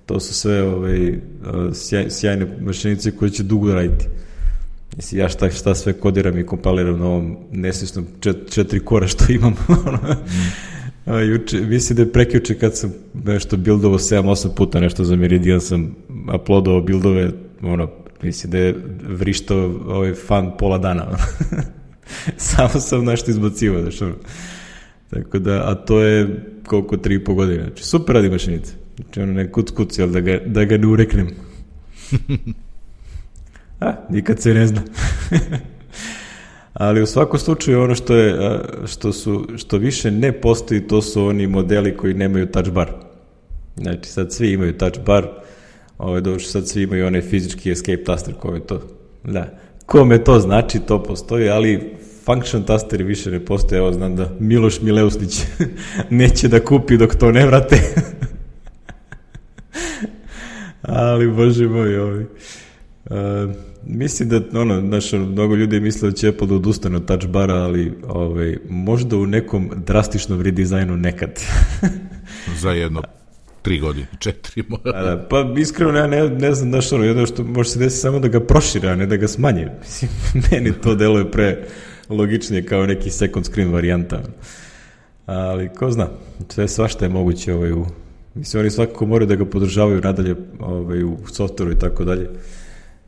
to su sve ovaj, sjaj, sjajne mašinice koje će dugo raditi. Mislim, ja šta, šta sve kodiram i kompaliram na ovom nesvjesnom čet, četiri kora što imam. A, juče, mislim da je prekjuče kad sam nešto buildovao sedam osam puta nešto za Meridian sam uploadovao buildove, ono, mislim da je vrištao ovaj fan pola dana. Samo sam nešto izbacivao, znaš, ono. Tako da, a to je koliko tri i po godine. Znači, super radi mašinice. Znači, ono, ne kuc kuc, jel, da ga, da ga ne ureknem. A, nikad se ne zna. Ali u svakom slučaju ono što je, što su, što više ne postoji, to su oni modeli koji nemaju touch bar. Znači, sad svi imaju touch bar, ovaj, došli sad svi imaju onaj fizički escape taster, kome to, da, kome to znači, to postoji, ali function tasteri više ne postoje. Evo, znam da Miloš Mileusnić neće da kupi dok to ne vrate. Ali, bože moj, ovaj. Uh, mislim da, ono, znaš, mnogo ljudi misle da će Apple da odustane od touch bara, ali ovaj, možda u nekom drastičnom redizajnu nekad. Za jedno tri godine, četiri možda. Da, pa iskreno ja ne, ne znam, znaš, ono, jedno što može se desiti samo da ga prošire, a ne da ga smanje. Mislim, meni to deluje pre logičnije kao neki second screen varijanta. Ali ko zna, sve svašta je moguće ovaj, u, mislim, oni svakako moraju da ga podržavaju nadalje ovaj, u softveru i tako dalje.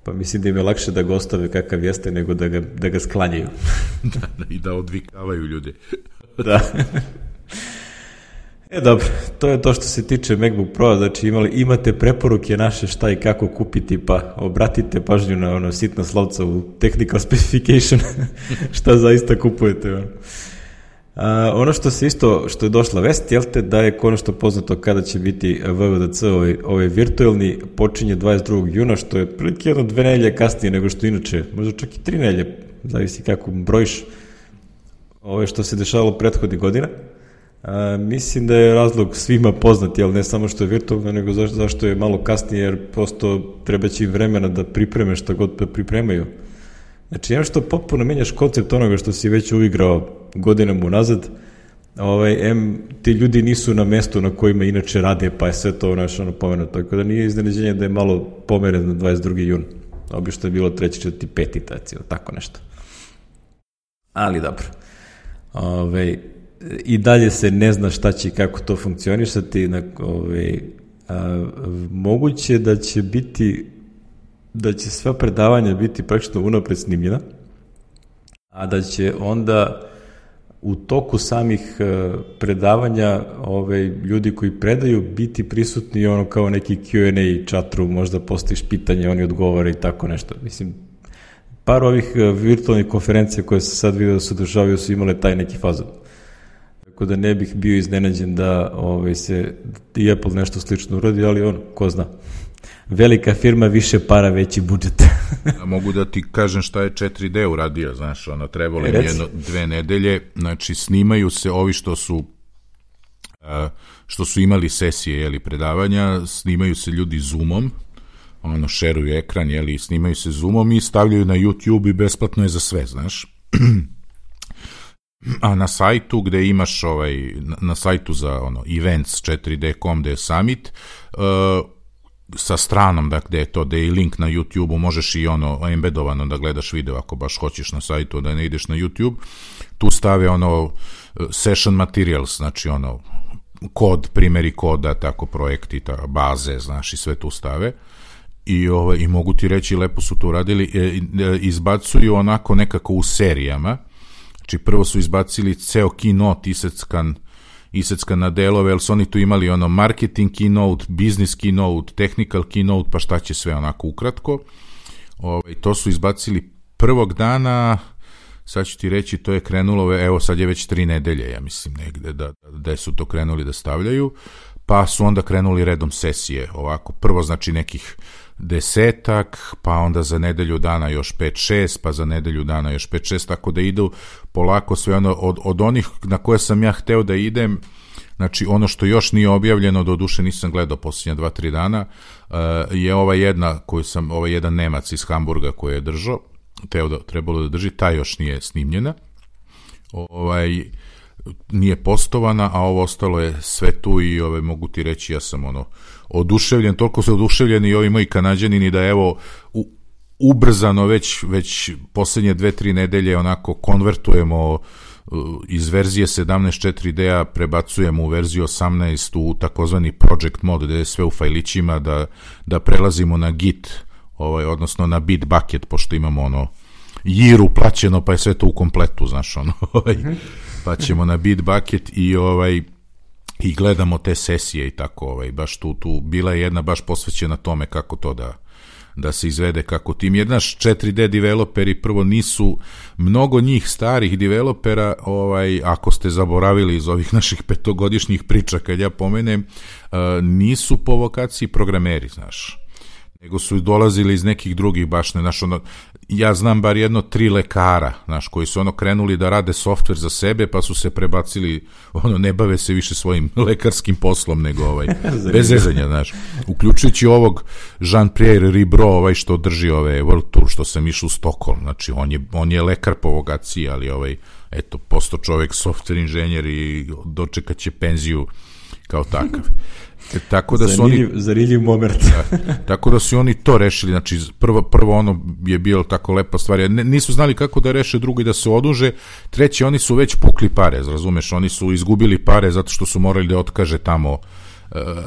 Pa mislim da im je lakše da ga ostave kakav jeste nego da ga, da ga sklanjaju. Da, da, i da odvikavaju ljudi. Da. E, dobro, to je to što se tiče MacBook Pro, znači imali, imate preporuke naše šta i kako kupiti, pa obratite pažnju na ono sitna slovca u technical specification, šta zaista kupujete. Ono. A, ono što se isto, što je došla vest, jel te, da je konačno poznato kada će biti V V D C, ovaj, ovaj virtualni, počinje dvadeset drugog juna, što je prilike jedno dve nedelje kasnije nego što inače, možda čak i tri nedelje, zavisi kako brojiš ove što se dešavalo prethodnih godina. A, mislim da je razlog svima poznat, jel, ne samo što je virtualno, nego zašto, zašto je malo kasnije, jer prosto treba će im vremena da pripreme šta god da pripremaju. Znači, jedno što potpuno menjaš koncept onoga što si već uigrao godinama unazad, ovaj, em, ti ljudi nisu na mestu na kojima inače rade, pa je sve to naš, ono, pomenuto. Tako da nije iznenađenje da je malo pomeren na dvadeset drugi jun. Obično je bilo treći, četvrti, peti, tako nešto. Ali dobro. Ove, i dalje se ne zna šta će i kako to funkcionišati, na, ovaj, a, moguće da će biti, da će sva predavanja biti praktično unapred snimljena, a da će onda u toku samih predavanja ove, ljudi koji predaju biti prisutni ono kao neki Q and A chatru, možda postaviš pitanje, oni odgovore i tako nešto. Mislim, par ovih virtualnih konferencija koje se sad vidio da se održavaju su imale taj neki fazon. Tako da ne bih bio iznenađen da ove, se i Apple nešto slično uradi, ali ono, ko zna. Velika firma, više para, veći budžet. A mogu da ti kažem šta je četiri D uradio, znaš, ono, trebalo im jedno, dve nedelje, znači snimaju se ovi što su što su imali sesije, jeli, predavanja, snimaju se ljudi Zoomom, ono, šeruju ekran, jeli, snimaju se Zoomom i stavljaju na YouTube i besplatno je za sve, znaš. A na sajtu gde imaš ovaj, na, na sajtu za ono, events četiri D dot com gde je summit, uh, sa stranom, da gde je to, gde je link na YouTube-u, možeš i ono embedovano da gledaš video ako baš hoćeš na sajtu, da ne ideš na YouTube, tu stave ono session materials, znači ono kod, primjeri koda, tako projekti, ta, baze, znaš, i sve tu stave. I, ovaj, i mogu ti reći, lepo su to uradili, e, e, izbacuju onako nekako u serijama, znači prvo su izbacili ceo keynote iseckan isecka na delove, jer su oni tu imali ono marketing keynote, business keynote, technical keynote, pa šta će sve onako ukratko. Ovaj, to su izbacili prvog dana, sad ću ti reći, to je krenulo, evo sad je već tri nedelje, ja mislim, negde da, da su to krenuli da stavljaju, pa su onda krenuli redom sesije, ovako, prvo znači nekih desetak, pa onda za nedelju dana još pet šest, pa za nedelju dana još pet šest, tako da idu polako sve ono, od, od onih na koje sam ja hteo da idem, znači ono što još nije objavljeno, do duše nisam gledao posljednja dva, tri dana, uh, je ova jedna, koju sam, ovaj jedan Nemac iz Hamburga koji je držao, teo da, trebalo da drži, ta još nije snimljena, ovaj, nije postovana, a ovo ostalo je sve tu i ovaj, mogu ti reći, ja sam ono oduševljen, toliko su oduševljeni i ovi moji Kanađanini da evo u, ubrzano već, već posljednje dve, tri nedelje onako konvertujemo uh, iz verzije sedamnaest četiri D-a, prebacujemo u verziju osamnaest u takozvani project mode, gde je sve u fajlićima, da, da prelazimo na Git, ovaj, odnosno na Bitbucket, pošto imamo ono jiru plaćeno, pa je sve to u kompletu, znaš, ono, ovaj, pa ćemo na Bitbucket i ovaj i gledamo te sesije i tako, ovaj, baš tu, tu bila je jedna baš posvećena tome kako to da, da se izvede kako tim. Jer naš četiri D developeri prvo nisu, mnogo njih starih developera, ovaj, ako ste zaboravili iz ovih naših petogodišnjih priča kad ja pomenem, uh, nisu po vokaciji programeri, znaš, nego su dolazili iz nekih drugih baš ne, znaš, ono, ja znam bar jedno tri lekara, znaš, koji su ono krenuli da rade softver za sebe, pa su se prebacili, ono, ne bave se više svojim lekarskim poslom, nego ovaj, bez zezanja, znaš, uključujući ovog Jean-Pierre Ribro, ovaj što drži ove World Tour, što sam išao u Stockholm, znači, on je, on je lekar po vokaciji, ali ovaj, eto, posto čovek softver inženjer i dočekat će penziju kao takav. E, tako da su oni zanimljiv moment. Da, tako da su oni to rešili, znači prvo, prvo ono je bilo tako lepa stvar, ne, nisu znali kako da reše, drugo i da se oduže, treći oni su već pukli pare, razumeš, oni su izgubili pare zato što su morali da otkaže tamo,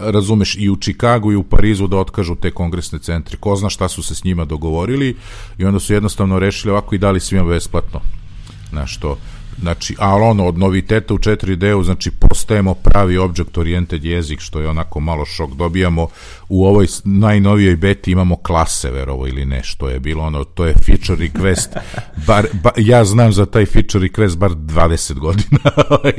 razumeš, i u Čikagu i u Parizu da otkažu te kongresne centri, ko zna šta su se s njima dogovorili i onda su jednostavno rešili ovako i dali svima besplatno, znaš to. Znači, ali ono, od noviteta u četiri D-u, znači, postajemo pravi object-oriented jezik, što je onako malo šok, dobijamo u ovoj najnovijoj beti imamo klase, verovo ili ne, što je bilo ono, to je feature request, bar, ba, ja znam za taj feature request bar dvadeset godina,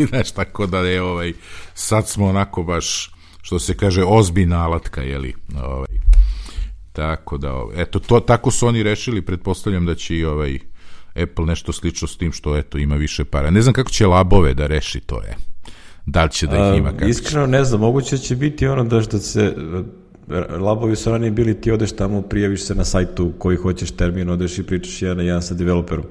znaš, tako da je, ovaj, sad smo onako baš, što se kaže, ozbiljna alatka, jeli, ovaj, tako da, ovaj, eto, to, tako su oni rešili, pretpostavljam da će i ovaj Apple nešto slično s tim što eto ima više para. Ne znam kako će labove da reši to je. Da li će da ih ima? Kako iskreno će? Ne znam, moguće će biti ono da što se labovi su ranije bili, ti odeš tamo, prijaviš se na sajtu koji hoćeš termin, odeš i pričaš jedan na jedan sa developerom.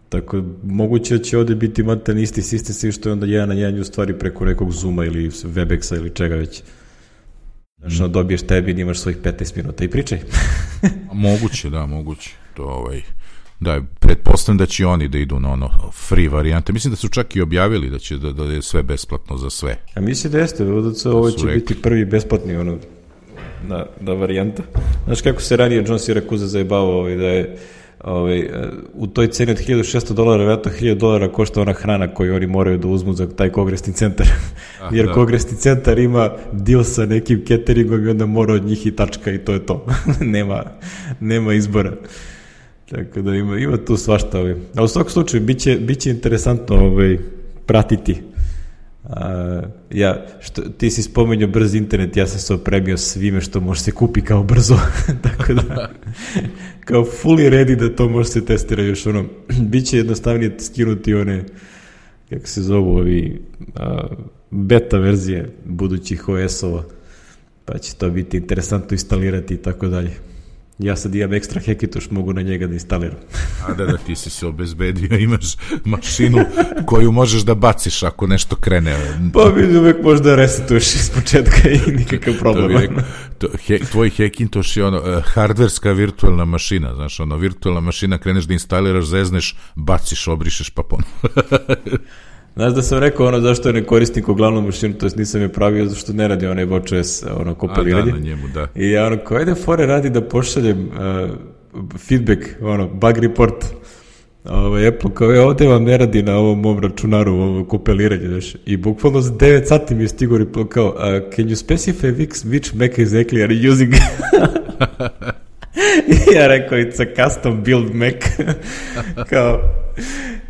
Tako, moguće će ovde biti matan isti sistem, svi što je onda jedan na jedan u stvari preko nekog Zooma ili Webexa ili čega već. Znači, mm. dobiješ termin, imaš svojih petnaest minuta i pričaj. Moguće, da, moguće. To ovaj... Da, pretpostavljam da će oni da idu na ono free varijante. Mislim da su čak i objavili da će da, da je sve besplatno za sve. A mislim da jeste, ovo će rekli. Biti prvi besplatni ono, na, na varijanta. Znaš kako se ranije John Siracusa zajebavao ovaj, da je ovaj, u toj ceni od hiljadu šesto dolara, vjerojatno hiljadu dolara košta ona hrana koju oni moraju da uzmu za taj kongresni centar. Ah, jer da. Kongresni centar ima deal sa nekim cateringom i onda mora od njih i tačka i to je to. nema, nema izbora. Tako da ima, ima tu svašta. Ovaj. A u svakom slučaju, bit će, bit će interesantno ovaj, pratiti. A, ja, što, ti si spomenuo brz internet, ja sam se opremio svime što može se kupi kao brzo. Tako da, kao fully ready da to može se testira još ono. Biće jednostavnije skinuti one, kako se zovu, ovi a, beta verzije budućih O S-ova, pa će to biti interesantno instalirati i tako dalje. Ja sad imam ekstra Hackintosh, mogu na njega da instaliram. A da, da, ti si se obezbedio, imaš mašinu koju možeš da baciš ako nešto krene. Pa vidi, uvek možda resetuješ iz početka i nikakav problem. To rekao, to, he, tvoj Hackintosh je ono, uh, hardverska virtualna mašina, znaš, ono, virtualna mašina, kreneš da instaliraš, zezneš, baciš, obrišeš, pa ponovno. Znaš da sam rekao ono zašto ne koristim ko glavnu mašinu, to jest nisam je pravio zašto ne radi onaj watchOS ono kompiliranje. A da, na njemu, da. I ja ono, koje da fore radi da pošaljem uh, feedback, ono, bug report ovaj, Apple, kao je ovde vam ne radi na ovom mom računaru, ovo kompiliranje, znaš. I bukvalno za devet sati mi je stigo report kao, uh, can you specify which, which Mac exactly are you using? I ja rekao, it's a custom build Mac. Kao...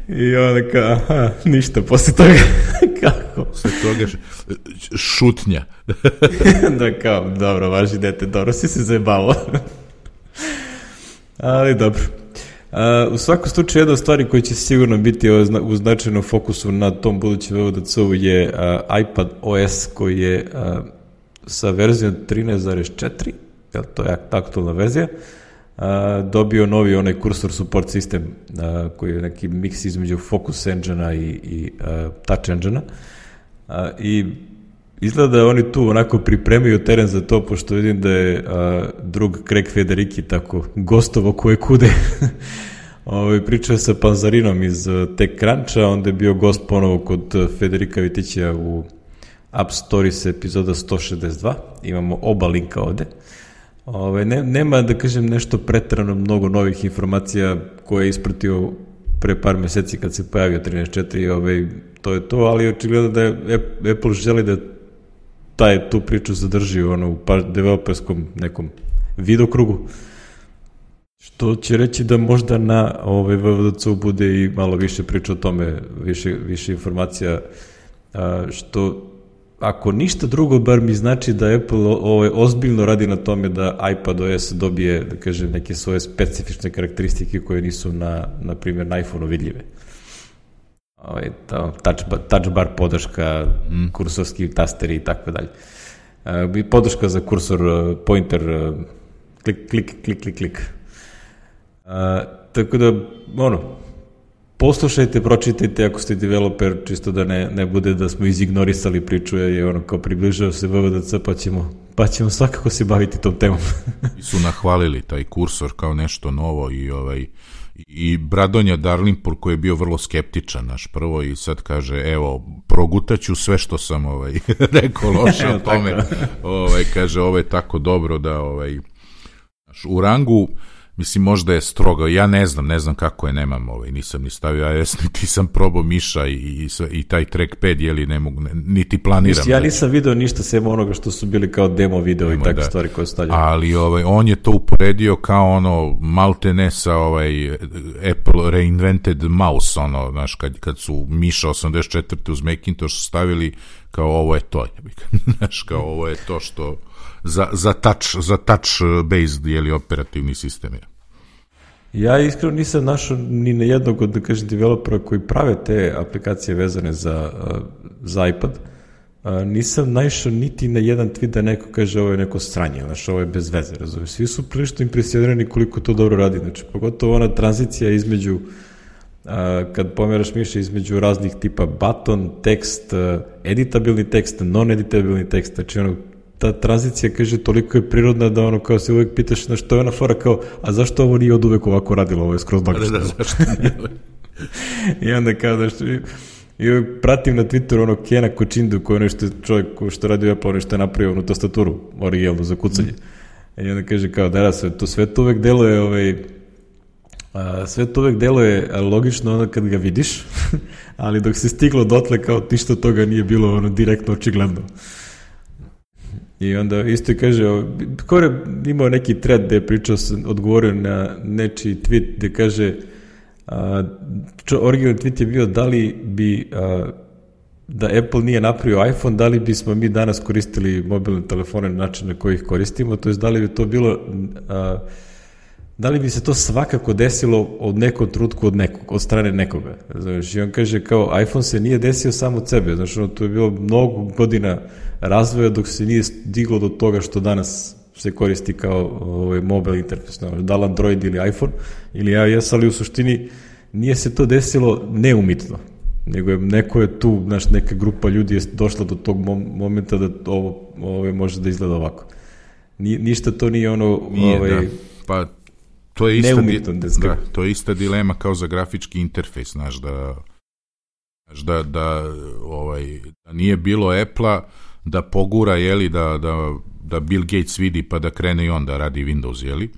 I onda kao, aha, ništa, posle toga, kako? Posle toga šutnja. Da kao, dobro, važi dete, dobro si se zajebalo. Ali dobro. Uh, u svakom slučaju, jedna od stvari koja će sigurno biti u značajnom fokusu na tom budućem V D C-u je uh, iPad O S koji je uh, sa verzijom trinaest zarez četiri, je to je aktualna verzija, Uh, dobio novi onaj kursor support sistem uh, koji je neki miks između Focus Engine-a i, i uh, Touch Engine-a uh, i izgleda da oni tu onako pripremaju teren za to, pošto vidim da je uh, drug Craig Federighi tako gostovo koje kude ovaj, pričao sa Panzarinom iz uh, TechCruncha, onda je bio gost ponovo kod uh, Federika Vitića u App Stories epizoda sto šezdeset dva, imamo oba linka ovde. Ove, ne, nema, da kažem, nešto pretrano mnogo novih informacija koje je ispratio pre par meseci kad se pojavio trinaest četiri, ove, to je to, ali očigledno da je Apple želi da taj, tu priču zadrži ono, u developerskom nekom vidokrugu, što će reći da možda na ove, V D C-u bude i malo više priča o tome, više, više informacija, a, što ako ništa drugo, bar mi znači da Apple ovaj, ozbiljno radi na tome da iPadOS dobije, da kažem, neke svoje specifične karakteristike koje nisu na, na primjer, na iPhone-u vidljive. Ovaj, touch, touch bar podrška, mm. kursorski tasteri i tako dalje. Uh, podrška za kursor, uh, pointer, uh, klik, klik, klik, klik, klik. Uh, tako da, ono, poslušajte, pročitajte ako ste developer, čisto da ne, ne bude da smo izignorisali priču, jer je ono kao približao se V D C, pa ćemo, pa ćemo svakako se baviti tom temom. I su nahvalili taj kursor kao nešto novo i ovaj i Bradonja Darlinpur koji je bio vrlo skeptičan naš prvo i sad kaže, evo, progutaću sve što sam ovaj, rekao loše o tome. ovaj, kaže, ovo je tako dobro da ovaj, u rangu, mislim, možda je strogo, ja ne znam, ne znam kako je, nemam ovaj, nisam ni stavio iOS, niti sam probao miša i, i, i taj trackpad, jeli ne mogu, ne, niti planiram. Mislim, ja nisam video ništa sem onoga što su bili kao demo video demo, i takve da. Stvari koje stavljaju. Ali ovaj, on je to uporedio kao ono, maltene sa ovaj, Apple reinvented mouse, ono, znaš, kad, kad su miša osamdeset četvrte uz Macintosh stavili, kao ovo je to, znaš, kao ovo je to što... Za, za touch, za touch based, jeli, operativni sistem je. Ja iskreno nisam našao ni na jednog od, da kažem, developera koji prave te aplikacije vezane za, za iPad. Nisam naišao niti na jedan tweet da neko kaže ovo je neko sranje, znaš, ovo je bez veze, razumiješ. Svi su prilično impresionirani koliko to dobro radi, znači, pogotovo ona tranzicija između, kad pomeraš miše između raznih tipa button, tekst, editabilni tekst, non-editabilni tekst, znači ono, ta tranzicija, kaže, toliko je prirodna da ono, kao se uvek pitaš na što je ona fora, kao, a zašto ovo nije od uvek ovako radilo, ovo je skroz magično. Da, da, zašto nije? I onda kao, znaš, i uvek pratim na Twitteru ono Kena Kočindu, koji je nešto čovjek što radi u Apple, nešto je napravio onu tastaturu, originalnu za kucanje. Mm. I onda kaže kao, da, sve to, sve to uvek deluje, ovaj, a, sve to uvek deluje logično onda kad ga vidiš, ali dok se stiglo dotle, kao ništa toga nije bilo ono direktno očigledno. I onda isto je kaže, Kore imao neki thread gde je pričao, odgovorio na nečiji tweet gde kaže, a, čo, originalni tweet je bio da li bi, a, da Apple nije napravio iPhone, da li bismo mi danas koristili mobilne telefone na način na koji ih koristimo, to je da li bi to bilo, a, da li bi se to svakako desilo od nekog trutku od nekog, od strane nekoga. Znači, i on kaže kao, iPhone se nije desio samo od sebe, znači ono, to je bilo mnogo godina razvoja dok se nije diglo do toga što danas se koristi kao ovaj, mobile interfejs, no, da li Android ili iPhone ili iOS, ali u suštini nije se to desilo neumitno, nego je, neko je tu, znaš, neka grupa ljudi je došla do tog mom- momenta da ovo, ovo može da izgleda ovako. Ni, ništa to nije ono... Nije, ovaj, da. Pa to je, ista di, da, da, to je ista dilema kao za grafički interfejs, znaš, da, da, da, ovaj, da nije bilo Apple-a, da pogura, jeli, da, da, da Bill Gates vidi pa da krene i on da radi Windows, jeli?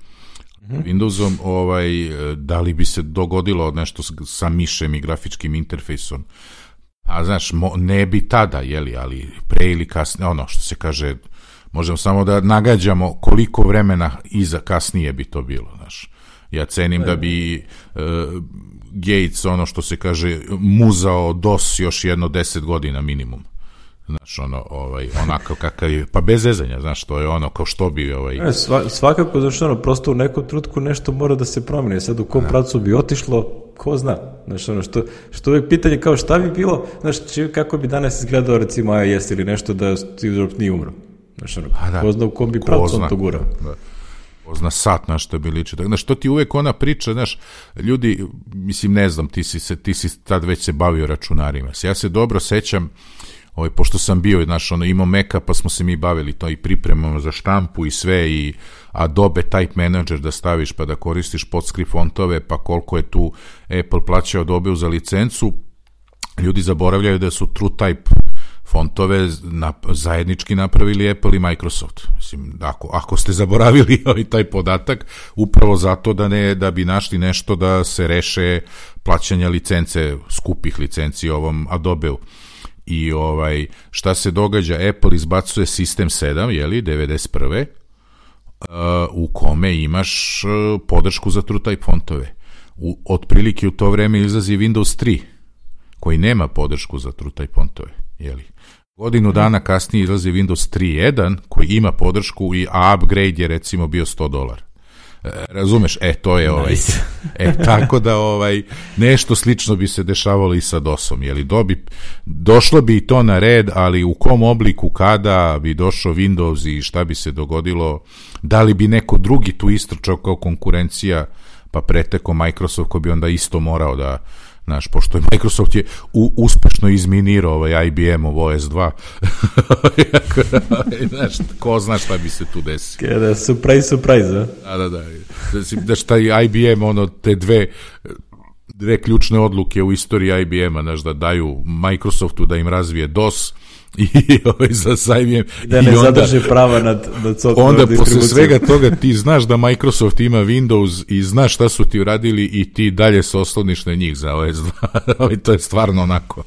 Mm-hmm. Windowsom, ovaj, da li bi se dogodilo nešto sa mišem i grafičkim interfejsom? A znaš, mo, ne bi tada, jeli, ali pre ili kasnije, ono što se kaže, možemo samo da nagađamo koliko vremena iza kasnije bi to bilo, znaš. Ja cenim da bi uh, Gates, ono što se kaže, muzao DOS još jedno deset godina minimum. Znaš, ono, ovaj, onako kakav je, pa bez zezanja, znaš, to je ono, kao što bi, ovaj... E, sva, svakako, znaš, ono, prosto u nekom trutku nešto mora da se promeni, sad u kom ne. Pravcu bi otišlo, ko zna, znaš, ono, što, što uvijek pitanje kao šta bi bilo, znaš, či, kako bi danas izgledao, recimo, iOS ili nešto da Steve Jobs nije umro, znaš, ono, da, ko zna u kom bi pravcu on to gurao. Da. Zna sat na što bi liči. Znaš, to ti uvek ona priča, znaš, ljudi, mislim, ne znam, ti si, se, ti si tad već se bavio računarima. Ja se dobro sećam, ovaj, pošto sam bio, znaš, ono, imao Maca, pa smo se mi bavili to i pripremamo za štampu i sve, i Adobe Type Manager da staviš, pa da koristiš podscript fontove, pa koliko je tu Apple plaćao Adobe za licencu. Ljudi zaboravljaju da su TrueType fontove na, zajednički napravili Apple i Microsoft. Mislim, ako, ako ste zaboravili ovaj taj podatak, upravo zato da ne, da bi našli nešto da se reše plaćanja licence, skupih licenci ovom Adobeu. I ovaj, šta se događa? Apple izbacuje sistem sedam, jeli, devedeset prve Uh, u kome imaš uh, podršku za TrueType fontove. U, otprilike u to vreme izlazi Windows tri, koji nema podršku za TrueType fontove, jeli. Godinu dana kasnije izlazi Windows tri jedan koji ima podršku, i a upgrade je recimo bio sto dolara. E, razumeš? E, to je ovaj... Nice. E, tako da ovaj, nešto slično bi se dešavalo i sa DOS-om. Jeli, dobi, došlo bi i to na red, ali u kom obliku, kada bi došao Windows i šta bi se dogodilo, da li bi neko drugi tu istrčao kao konkurencija, pa preteko Microsoft, ko bi onda isto morao da, znaš, pošto je Microsoft je u, uspešno izminirao ovaj I B M-ov O S dva. Znaš, ko zna šta bi se tu desilo. Kada, surprise, surprise, a? Da, da, da. Da šta I B M, ono, te dve, dve ključne odluke u istoriji I B M-a, znaš, da daju Microsoftu da im razvije DOS, i ovaj za sajmijem da ne zadrže prava nad, nad software onda posle svega toga ti znaš da Microsoft ima Windows i znaš šta su ti uradili i ti dalje se osloniš na njih za O S dva. To je stvarno onako.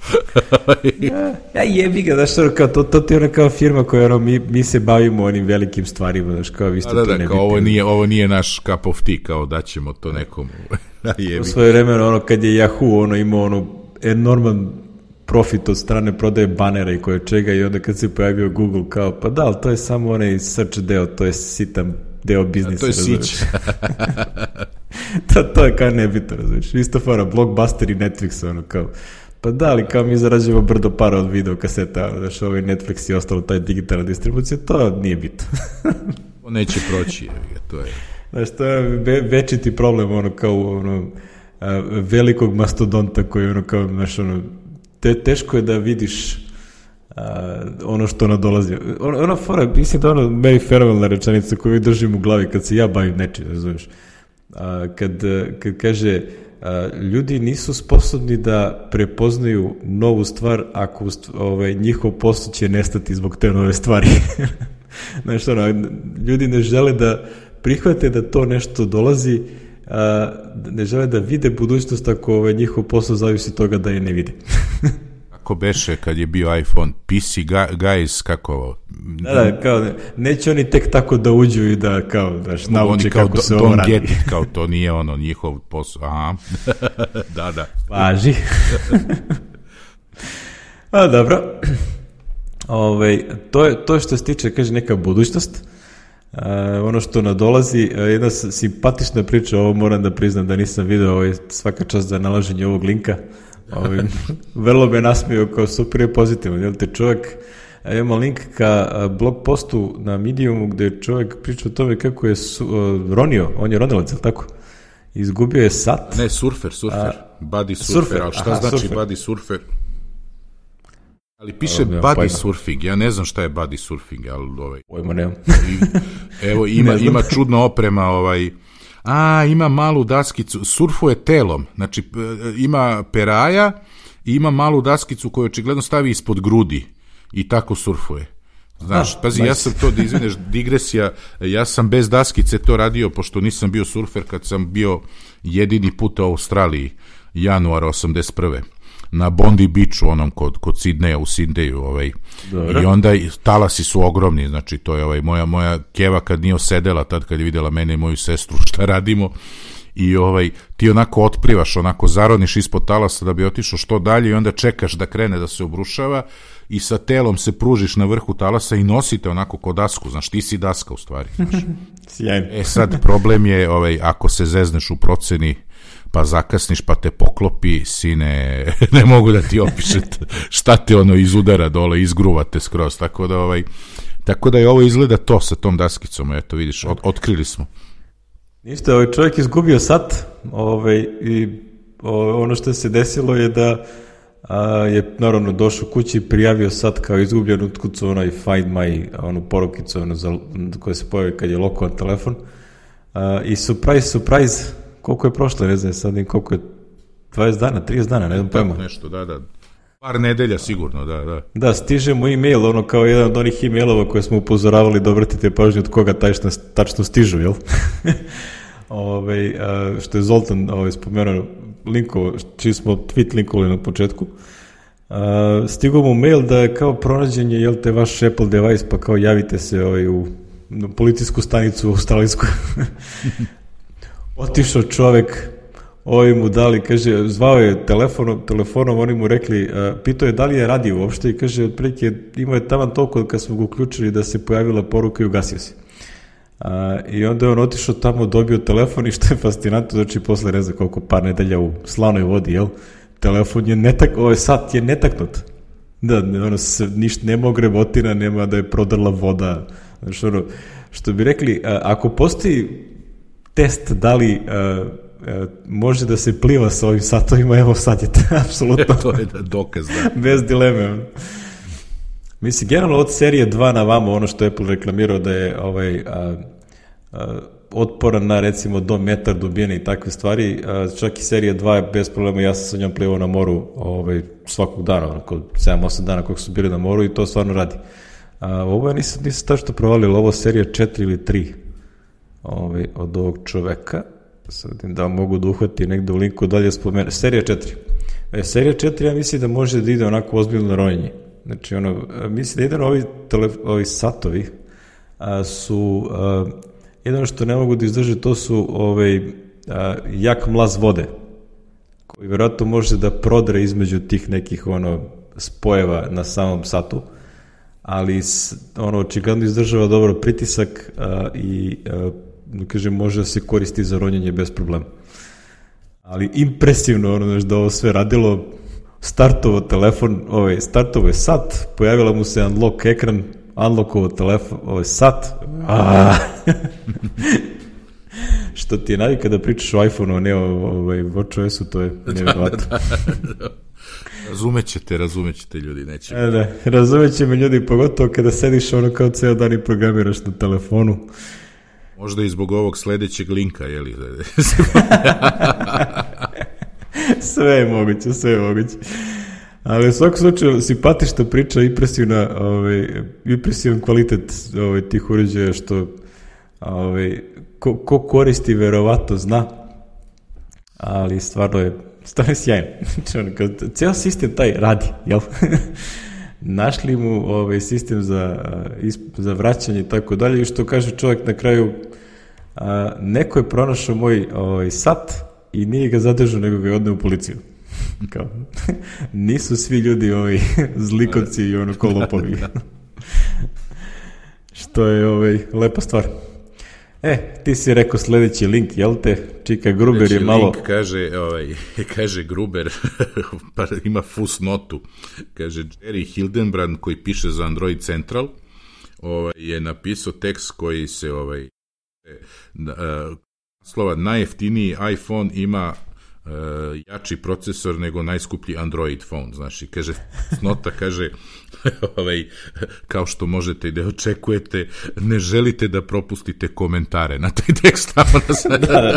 ja, ja jebi ga, znaš, kao, to, to ti je ona kao firma koja ono, mi, mi se bavimo onim velikim stvarima, znaš, kao vi ste da, to da, ne kao ovo nije, ovo nije naš cup of tea, kao da ćemo to nekomu. U svoje vremena, ono, kad je Yahoo ono, imao ono enorman profit od strane prodaje banera i koje čega, i onda kad se pojavio Google kao, pa da, ali to je samo onaj search deo, to je sitan deo biznisa. To je sić. to, to je kao nebitno, razumiješ. Isto fora, Blockbuster i Netflix, ono kao, pa da, ali kao mi zarađujemo brdo para od video kaseta, znaš, ovaj Netflix i ostalo, taj digitalna distribucija, to nije bitno. To neće proći, to je. Znaš, to je večiti problem, ono, kao, ono, velikog mastodonta koji, ono, kao, znaš, ono, Te, teško je da vidiš a, ono što nadolazi. Ona, ona fora, mislim da ono meni fenomenalna rečenica koju držim u glavi kad se ja bavim nečim, razumiješ. A, kad, kad kaže a, ljudi nisu sposobni da prepoznaju novu stvar ako ovaj, njihov posao će nestati zbog te nove stvari. Znaš, ono, ljudi ne žele da prihvate da to nešto dolazi, a, ne žele da vide budućnost ako ovaj, njihov posao zavisi toga da je ne vide. Kako beše kad je bio iPhone, P C guys, kako ovo? Da, da, kao, neće oni tek tako da uđu i da, kao, daš, nauče kako do, se ovo radi. Get it, kao to nije ono njihov posao, aha, da, da. Važi. A, dobro. Ove, to, je, to je što se tiče, kaže, neka budućnost. Uh, ono što nadolazi, uh, jedna simpatična priča, ovo moram da priznam da nisam video, ovaj, svaka čast za nalaženje ovog linka. Ovaj, vrlo me nasmio kao super je pozitivno, jel te čovjek, imamo link ka blog postu na Mediumu gde je čovjek priča o tome kako je su, uh, ronio, on je ronilac, jel tako? Izgubio je sat. Ne, surfer, surfer, a, buddy surfer, surfer, ali šta aha, znači surfer. Buddy surfer? Ali piše Evo, buddy surfing, ja ne znam šta je buddy surfing, ali ovaj... Pojma nemam. Evo, ima, ne ima čudna oprema, ovaj... A, ima malu daskicu, surfuje telom, znači ima peraja i ima malu daskicu koju očigledno stavi ispod grudi i tako surfuje. Znaš, ah, pazi, nice. Ja sam to, da izvineš, digresija, ja sam bez daskice to radio, pošto nisam bio surfer kad sam bio jedini put u Australiji, januara osamdeset prve na Bondi Beachu, onom kod, kod Sidneja, u Sidneju, ovaj. I onda talasi su ogromni, znači to je ovaj, moja, moja keva kad nije osedela, tad kad je vidjela mene i moju sestru šta radimo, i ovaj, ti onako otplivaš, onako zaroniš ispod talasa da bi otišao što dalje i onda čekaš da krene da se obrušava i sa telom se pružiš na vrhu talasa i nosite onako ko dasku, znaš, ti si daska u stvari. Sjajno. E sad, problem je, ovaj, ako se zezneš u proceni, pa zakasniš, pa te poklopi, sine, ne mogu da ti opišem šta te ono izudara dole, izgruvate skroz, tako da ovaj, tako da je ovo izgleda to sa tom daskicom, eto vidiš, od, otkrili smo. Ništa, ovaj čovjek izgubio sat, ovaj, i o, ono što se desilo je da a, je naravno došao kući i prijavio sat kao izgubljen, utkucao onaj find my, onu porukicu ono, za, koja se pojavi kad je lokovan telefon, a, i surprise, surprise, koliko je prošlo, ne znam sad, koliko je dvadeset dana, trideset dana, ne znam pojma. Nešto, da, da. Par nedelja sigurno, da, da. Da, stiže mu e-mail, ono kao jedan od onih e-mailova koje smo upozoravali da obratite pažnju od koga tačno, tačno stižu, jel? Ove, a, što je Zoltan ove, spomenuo linkovo, čiji smo tweet linkovali na početku. A, stigao mu mail da je kao pronađen je, jel te, vaš Apple device, pa kao javite se ovaj, u policijsku stanicu u australijsku. Otišao čovek, ovi mu dali, kaže, zvao je telefonom, telefonom, oni mu rekli, uh, pitao je da li je radio uopšte i kaže, otprilike imao je taman toliko kad smo ga uključili da se pojavila poruka i ugasio se. Uh, I onda je on otišao tamo, dobio telefon i što je fascinantno, znači posle ne znam koliko par nedelja u slanoj vodi, jel? Telefon je netak, ovaj sat je netaknut. Da, ono, se, ništa, nema ogrevotina, nema da je prodrla voda. Znači, ono, što bi rekli, uh, ako postoji test da li uh, uh, može da se pliva sa ovim satovima, evo sad je to apsolutno to je dokaz, da. Bez dileme. Mislim, generalno od serije dva na vamo, ono što je Apple reklamirao da je ovaj, uh, uh, otporan na recimo do metar dubine i takve stvari, uh, čak i serija dva je bez problema, ja sam sa njom plivao na moru ovaj, svakog dana, onako sedam osam dana kog su bili na moru i to stvarno radi. Uh, ovo je nisam, nisam tačno provalio, ovo serija četiri ili tri Ovaj, od ovog čoveka, sad da mogu da uhvati negde u linku dalje spomenu, serija četiri. E, serija četiri ja mislim da može da ide onako ozbiljno ronjenje. Znači, ono, mislim da jedan ovi, tele, ovi satovi a, su, a, jedno što ne mogu da izdrže, to su ovaj, a, jak mlaz vode, koji vjerojatno može da prodre između tih nekih ono, spojeva na samom satu, ali ono, očigledno izdržava dobro pritisak a, i a, kažem, može da se koristi za ronjenje bez problema. Ali impresivno ono, da ovo sve radilo, startovo telefon, ovaj, startovo je sat, pojavila mu se unlock ekran, unlockovo telefon, ovaj sat, što ti je navika da pričaš o iPhone-u, a ne o ovaj, WatchOS-u, to je nevjerovatno. Da, da, da. Razumećete, razumećete ljudi, neće. E, da, razumeće me ljudi, pogotovo kada sediš ono kao ceo dan i programiraš na telefonu. Možda i zbog ovog sledećeg linka, jeli? Sve je moguće, sve je moguće. Ali u svakom slučaju simpatična priča, impresivna, ovaj, impresivan kvalitet ovaj, tih uređaja, što ovaj, ko, ko koristi verovatno zna, ali stvarno je, stvarno je sjajno. Ceo sistem taj radi, jel? Našli mu ovaj, sistem za, za vraćanje i tako dalje, i što kaže čovjek na kraju, a, neko je pronašao moj ovaj, sat i nije ga zadržao, nego ga je odneo u policiju. Kao, nisu svi ljudi ovi zlikovci i ono kolopovi. Što je ovaj, lepa stvar. E, ti si rekao sledeći link, jel te? Čika Gruber sledeći je malo... link kaže, ovaj, kaže Gruber, pa ima fusnotu, kaže Jerry Hildenbrand koji piše za Android Central, ovaj, je napisao tekst koji se ovaj, uh, slova najjeftiniji iPhone ima Uh, jači procesor nego najskuplji Android phone, znači, kaže, nota kaže, ovaj, kao što možete i da očekujete, ne želite da propustite komentare na taj tekst. da, da,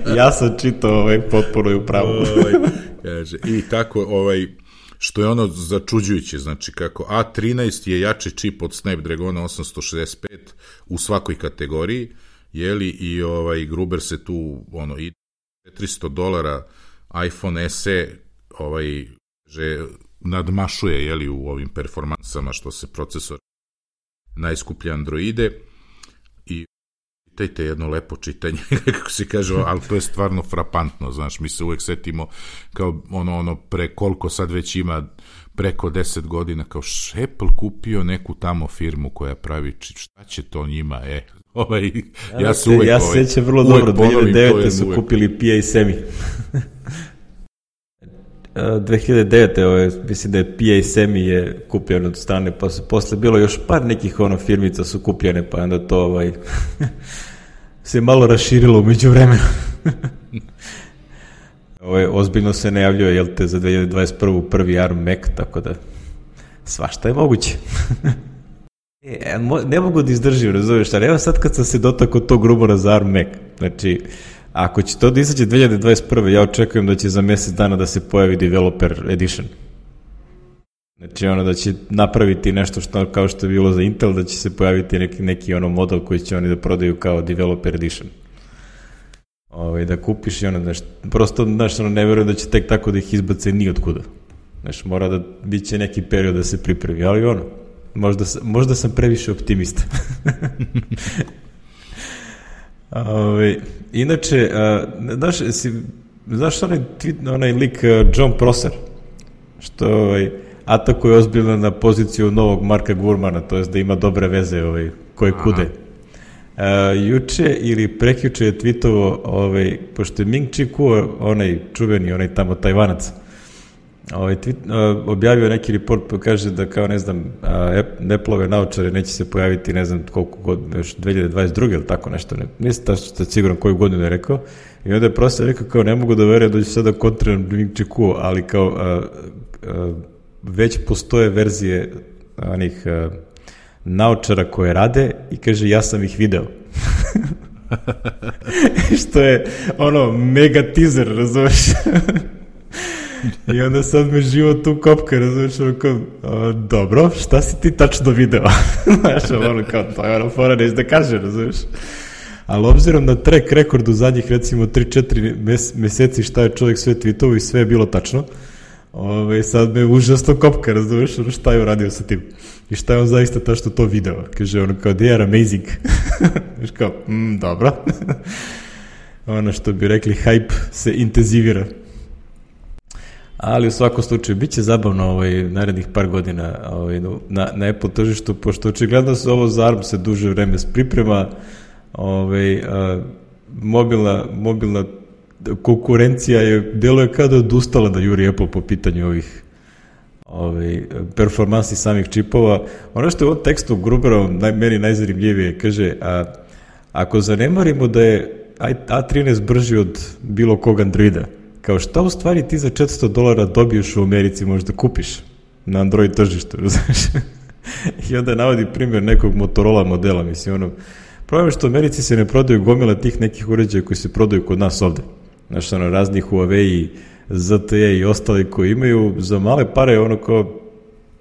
da. Ja sam čitao ovaj, potporu i upravo. ovaj, kaže, i kako, ovaj, što je ono začuđujuće, znači, kako A trinaest je jači čip od Snapdragona osamsto šezdeset pet u svakoj kategoriji, jeli, i ovaj, Gruber se tu, ono, ide četiristo dolara iPhone S E ovaj, že nadmašuje, jeli, u ovim performansama što se procesor najskuplje Androide, i čitajte jedno lepo čitanje, kako se kaže, ali to je stvarno frapantno, znaš, mi se uvek setimo kao ono, ono pre koliko sad već ima preko deset godina, kao Apple kupio neku tamo firmu koja pravi, šta će to njima, e, ovaj, ja, ja se uvek... Ja se sjećam vrlo dobro, dve hiljade devete su uvek kupili P A Semi. dve hiljade devete Ovaj, mislim da je P A Semi je kupljen od strane, pa su posle bilo još par nekih ono firmica su kupljene, pa onda to ovaj, se malo raširilo umeđu vremena. Ovaj, ozbiljno se najavljuje, jel te, za dve hiljade dvadeset prvu prvi ARM Mac, tako da svašta je moguće. E, ne mogu da izdržim, razumiješ, ali evo sad kad sam se dotakao tog rumora za ARM Mac, znači, ako će to da izađe dve hiljade dvadeset prve ja očekujem da će za mjesec dana da se pojavi Developer Edition. Znači, ono da će napraviti nešto što, kao što je bilo za Intel, da će se pojaviti neki, neki ono model koji će oni da prodaju kao Developer Edition. Ove, da kupiš i ono, znaš, prosto, znaš, ono, ne verujem da će tek tako da ih izbace ni od kuda. Znaš, mora da, bit će neki period da se pripremi, ali ono, možda, možda sam previše optimista. Ove, inače, a, znaš, si, znaš onaj, onaj lik John Prosser, što ovaj, atakuje ozbiljno na poziciju novog Marka Gurmana, to jest da ima dobre veze ovaj, koje kude. Uh, juče ili prekjuče je tweetovo, ovaj, pošto je Ming Chi Kuo, onaj čuveni, onaj tamo Tajvanac, ovaj, tweet, uh, objavio neki report pa kaže da kao, ne znam, uh, Apple-ove naočare neće se pojaviti, ne znam koliko god, još dve hiljade dvadeset druge ili tako nešto, ne, nisam tačno siguran koju godinu je rekao, i onda je prosto rekao kao ne mogu da verujem da ću sada kontriram Ming Chi Kuo, ali kao uh, uh, već postoje verzije onih uh, naočara koje rade i kaže ja sam ih video. Što je ono mega teaser, razumeš? I onda sad me život tu kopka, razumeš, ono kao, o, dobro, šta si ti tačno video? Znaš, ono kao, to je ono fora, neći da kaže, razumeš? Ali obzirom na track rekord u zadnjih recimo tri četiri meseci šta je čovjek sve tweetovo i sve je bilo tačno, ove, sad me užasno kopka, razumeš, ono šta je uradio sa tim. I šta je on zaista tačno to video? Kaže ono kao, they are amazing. Znaš kao, mm, dobro. Ono što bi rekli, hype se intenzivira. Ali u svakom slučaju, bit će zabavno ovaj, narednih par godina ovaj, na, na Apple tržištu, pošto očigledno se ovo za ARM se duže vreme priprema, ovaj, a, mobilna, mobilna konkurencija je, deluje kao da je odustala da juri Apple po pitanju ovih ovaj, performansi samih čipova. Ono što je u ovom tekstu Gruberovom naj, meni najzanimljivije, kaže, a, ako zanemarimo da je A trinaest brži od bilo kog Androida. Kao šta u stvari ti za četiristo dolara dobiješ u Americi možda kupiš na Android tržištu, znaš? I onda navodi primjer nekog Motorola modela, mislim, ono, problem je što u Americi se ne prodaju gomila tih nekih uređaja koji se prodaju kod nas ovde. Znaš, ono, raznih Huawei, Z T E i ostali koji imaju za male pare, ono kao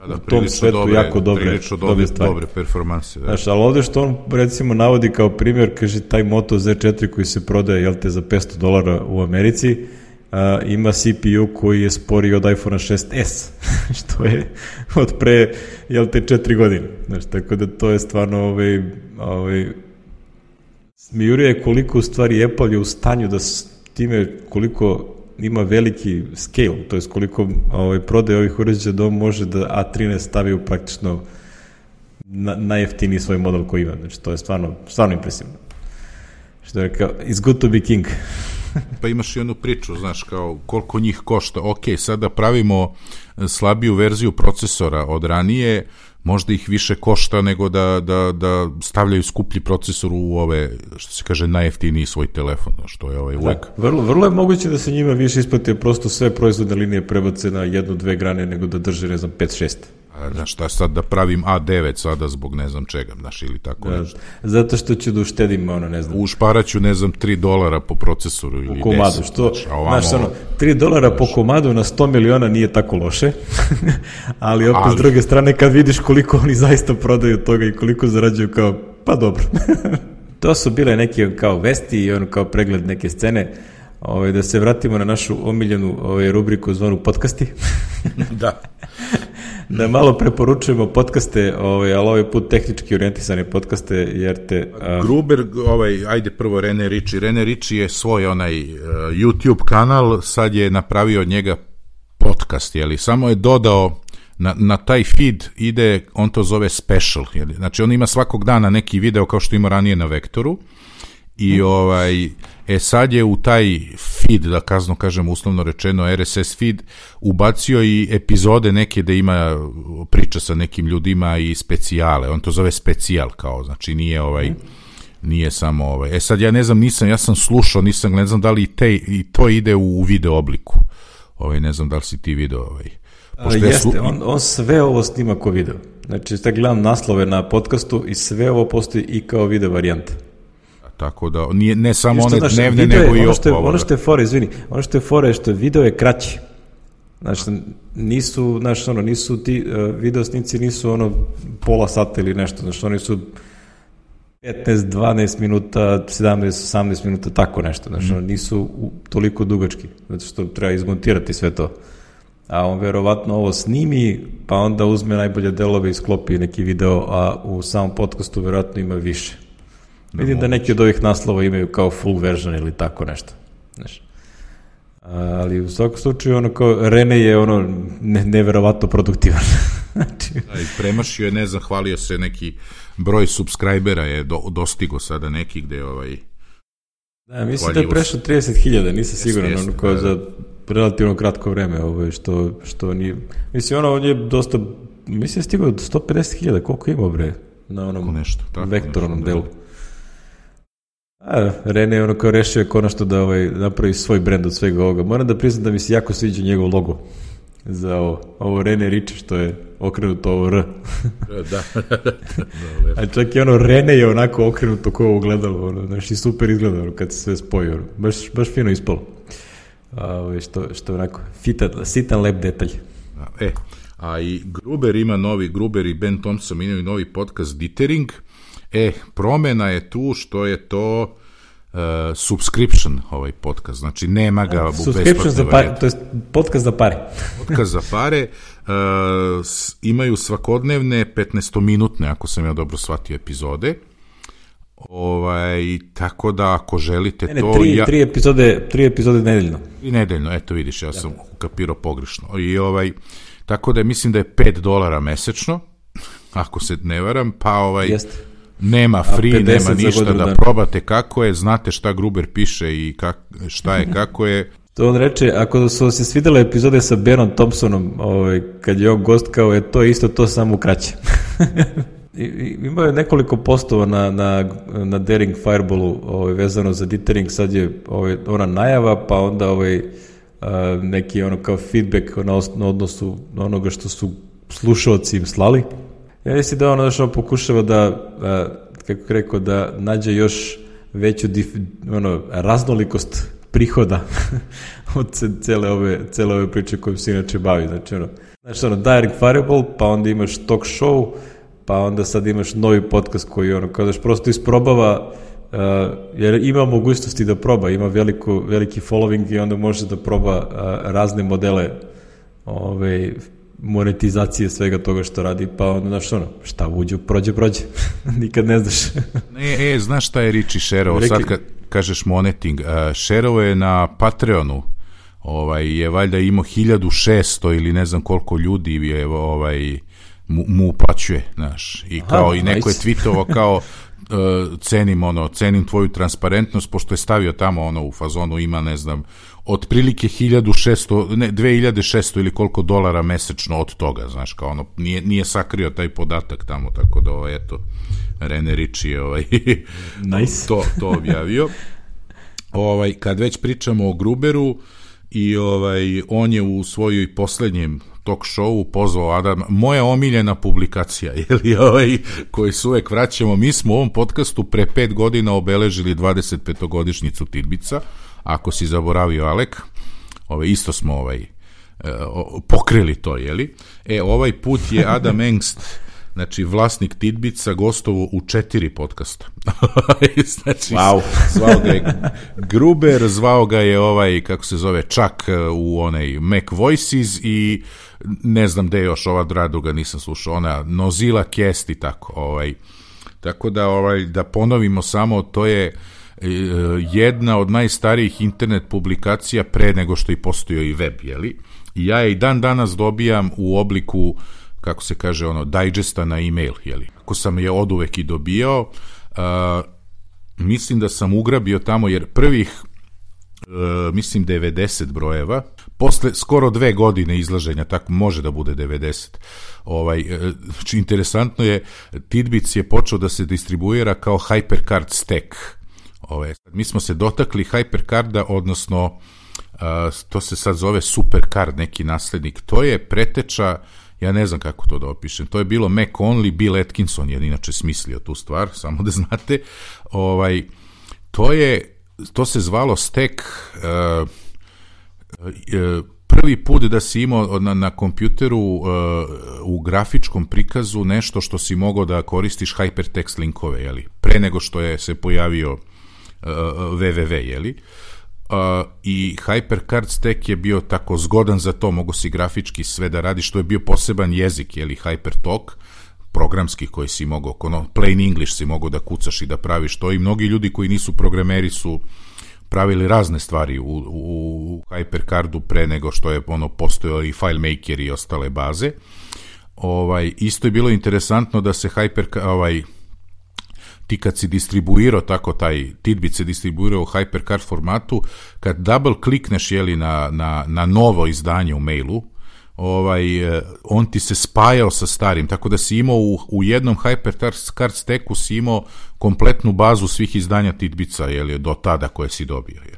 da, u tom svetu dobre, jako dobre, dobre stvari. Dobre performanse. Da. Znaš, ali ovde što on recimo navodi kao primjer, kaže taj Moto Z četiri koji se prodaje, jel te, za petsto dolara u Americi, a, ima C P U koji je sporiji od iPhone šest S, što je od pre, jel te, četiri godine. Znaš, tako da to je stvarno ovaj, ovaj, smijuruje koliko u stvari Apple je u stanju da s time koliko ima veliki scale, to je koliko ovaj, prodaje ovih uređaja da on može da A trinaest stavi u praktično na, najjeftiniji svoj model koji ima. Znači, to je stvarno, stvarno impresivno. Što je rekao, it's good to be king. Pa imaš i onu priču, znaš, kao koliko njih košta. Ok, sada pravimo slabiju verziju procesora od ranije, možda ih više košta nego da, da, da stavljaju skuplji procesor u ove, što se kaže, najjeftiniji svoj telefon, što je ovaj uvek. Da, vrlo, vrlo je moguće da se njima više isplati prosto sve proizvodne linije prebace na jednu, dve grane nego da drže, ne znam, pet šest. A, znaš, šta sad da pravim A devet sada zbog ne znam čega, znaš, ili tako da, nešto. Zato što ću da uštedim, ono, ne znam. Ušparaću, ne znam, tri dolara po procesoru ili u komadu, deset. Što, znaš, ovamo, znaš, ono, tri dolara znaš, po komadu na sto miliona nije tako loše, ali opet ali, s druge strane kad vidiš koliko oni zaista prodaju toga i koliko zarađuju, kao, pa dobro. To su bile neke kao vesti i ono kao pregled neke scene. Ovaj, da se vratimo na našu omiljenu ovaj, rubriku zvanu podcasti. Da. Da malo preporučujemo podcaste, ovaj, ali ovaj put tehnički orijentisane podcaste, jer te... A... Gruber, ovaj, ajde prvo Rene Ritchie. Rene Ritchie je svoj onaj uh, YouTube kanal, sad je napravio od njega podcast, jeli? Samo je dodao na, na taj feed ide, on to zove special, jeli? Znači on ima svakog dana neki video kao što ima ranije na Vektoru i ovaj... E sad je u taj feed, da kazno kažem uslovno rečeno R S S feed, ubacio i epizode neke da ima priča sa nekim ljudima i specijale. On to zove specijal kao, znači nije ovaj, nije samo ovaj. E sad ja ne znam, nisam, ja sam slušao, nisam, ne znam da li i, te, i to ide u video obliku. Ovaj, ne znam da li si ti video ovaj. Pošto jeste, slu... on, on sve ovo snima kao video. Znači, sad gledam naslove na podcastu i sve ovo postoji i kao video varijanta. Tako da, nije, ne samo one znaš, dnevne, nego je, i ono što je, ovo. Ono što je fora, izvini, ono što je fora je što video je kraći. Znači, nisu, znači, ono, nisu ti uh, videosnici nisu ono pola sata ili nešto, znači, oni su petnaest, dvanaest minuta, sedamnaest, osamnaest minuta, tako nešto, znači, mm. nisu u, toliko dugački, zato što treba izmontirati sve to. A on verovatno ovo snimi, pa onda uzme najbolje delove i sklopi neki video, a u samom podcastu verovatno ima više. Vidim da neki od ovih naslova imaju kao full version ili tako nešto. Znaš. Ali u svakom slučaju ono kao Rene je ono ne, neverovatno produktivan. Znači... Da, i premašio je, ne znam, hvalio se neki broj subscribera je do, dostigo sada neki gde ovaj... Da, mislim da je prešao trideset hiljada, nisam siguran, jest, ono kao da, za relativno kratko vreme, ovaj, što, što nije... Mislim, ono, on je dosta, mislim, je stigao do sto pedeset hiljada, koliko ima, bre, na onom nešto, tako, vektornom nešto, delu. Da. A, Rene je ono kao rešio je konačno da ovaj, napravi svoj brend od svega ovoga. Moram da priznam da mi se jako sviđa njegov logo za ovo, ovo Rene Ritchie što je okrenuto ovo R. Da. A čak i ono Rene je onako okrenuto ko ovo gledalo, ono, znaš, i super izgleda ono, kad se sve spoji, ono, baš, baš fino ispalo. A, što, što onako, fitan, sitan lep detalj. A, e, a i Gruber ima novi, Gruber i Ben Thompson imaju novi podcast Dithering. E, promena je tu što je to uh, subscription ovaj podcast, znači nema ga u subscription za pare, to je podcast za pare. Podcast za pare, uh, s, imaju svakodnevne petnaestominutne, ako sam ja dobro shvatio, epizode. Ovaj, tako da ako želite ne, ne, to... Tri, ja, tri, epizode, tri epizode nedeljno. I nedeljno, eto vidiš, ja sam ukapirao pogrešno. I ovaj, tako da mislim da je pet dolara mesečno, ako se ne varam, pa ovaj... Jeste. Nema free, nema ništa da dana. Probate kako je, znate šta Gruber piše i kak, šta je, kako je. To on reče, ako su se svidjela epizode sa Benom Thompsonom, ovaj, kad je on gost, kao je to isto, to samo kraće. imao je nekoliko postova na, na, na Daring Fireballu ovaj, vezano za Dithering, sad je ovaj, ona najava, pa onda ovaj, a, neki ono kao feedback na, os, na odnosu na onoga što su slušalci im slali. Ja mislim da ono što pokušava da, a, kako rekao, da nađe još veću dif, ono, raznolikost prihoda od cele ove, cele ove priče kojim se inače bavi. Znači, ono, znači, ono, Daring Fireball, pa onda imaš talk show, pa onda sad imaš novi podcast koji, ono, kao daš prosto isprobava, uh, jer ima mogućnosti da proba, ima veliko, veliki following i onda može da proba uh, razne modele ove, monetizacije svega toga što radi, pa onda, znaš, ono, šta uđu, prođe, prođe. Nikad ne znaš. e, e, znaš šta je Riči šerovo, sad kad kažeš moneting, uh, šerovo je na Patreonu, ovaj, je valjda imao hiljadu šesto ili ne znam koliko ljudi je, ovaj, mu, mu uplaćuje, znaš, i kao, aha, i neko nice. Je tweetovao kao uh, cenim, ono, cenim tvoju transparentnost, pošto je stavio tamo, ono, u fazonu ima, ne znam, otprilike hiljadu šesto, ne, dve hiljade šesto ili koliko dolara mesečno od toga, znaš, kao ono, nije, nije sakrio taj podatak tamo, tako da, ovaj, eto, Rene Ritchie je, ovaj, nice. to, to objavio. Ovaj, kad već pričamo o Gruberu, i ovaj, on je u svojoj poslednjem talk showu pozvao Adam, moja omiljena publikacija, jeli, ovaj, koji se uvek vraćamo, mi smo u ovom podcastu pre pet godina obeležili dvadeset petogodišnjicu Tidbica, ako si zaboravio, Alek, ovaj, isto smo ovaj, pokrili to, jeli, e, ovaj put je Adam Engst, znači vlasnik Tidbica, gostovo u četiri podcasta. Znači, wow. Zvao ga je Gruber, zvao ga je ovaj, kako se zove, Chuck u onaj Mac Voices i ne znam gde još, ova druga nisam slušao, ona Nozilla Cast i tako. Ovaj. Tako da, ovaj, da ponovimo samo, to je jedna od najstarijih internet publikacija pre nego što i postojao i web, jeli? I ja je i dan danas dobijam u obliku, kako se kaže, ono, digesta na e-mail, jeli. Ako sam je oduvek i dobijao, uh, mislim da sam ugrabio tamo, jer prvih, uh, mislim, devedeset brojeva, posle skoro dve godine izlaženja, tako može da bude devedeset, ovaj, uh, interesantno je, Tidbits je počeo da se distribuira kao HyperCard stack. Ovaj, mi smo se dotakli HyperCarda, odnosno, uh, to se sad zove SuperCard, neki naslednik, to je preteča, ja ne znam kako to da opišem, to je bilo Mac Only, Bill Atkinson je inače smislio tu stvar, samo da znate, ovaj, to je, to se zvalo stack, uh, uh, prvi put da si imao na, na kompjuteru uh, u grafičkom prikazu nešto što si mogao da koristiš hypertext linkove, jeli, pre nego što je se pojavio uh, www, jeli, Uh, i HyperCard stack je bio tako zgodan za to, mogu si grafički sve da radiš, to je bio poseban jezik, jeli, HyperTalk, programski koji si mogao, ono, plain English si mogao da kucaš i da praviš to, i mnogi ljudi koji nisu programeri su pravili razne stvari u, u, u HyperCardu pre nego što je ono postojao i FileMaker i ostale baze. Ovaj, isto je bilo interesantno da se HyperCard, ovaj, ti kad si distribuirao tako taj Tidbit se distribuirao u HyperCard formatu, kad double klikneš, jeli, na, na, na novo izdanje u mailu, ovaj, on ti se spajao sa starim, tako da si imao u, u jednom HyperCard stacku si imao kompletnu bazu svih izdanja Tidbica, jeli, do tada koje si dobio, je.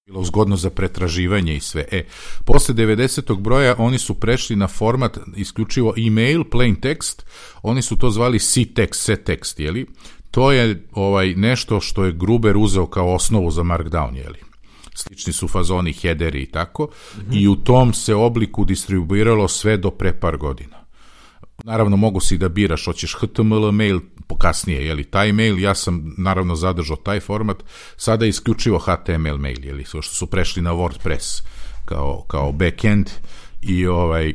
Bilo zgodno za pretraživanje i sve. E, posle devedesetog broja oni su prešli na format isključivo email, plain text, oni su to zvali C-text, C-text, jeli? To je ovaj nešto što je Gruber uzeo kao osnovu za Markdown, jeli? Slični su fazoni, headeri i tako, mm-hmm. i u tom se obliku distribuiralo sve do pre par godina. Naravno, mogu si da biraš, hoćeš H T M L mail, kasnije, jeli, taj mail, ja sam naravno zadržao taj format, sada je isključivo H T M L mail, jeli, što su prešli na WordPress kao, kao backend, i ovaj,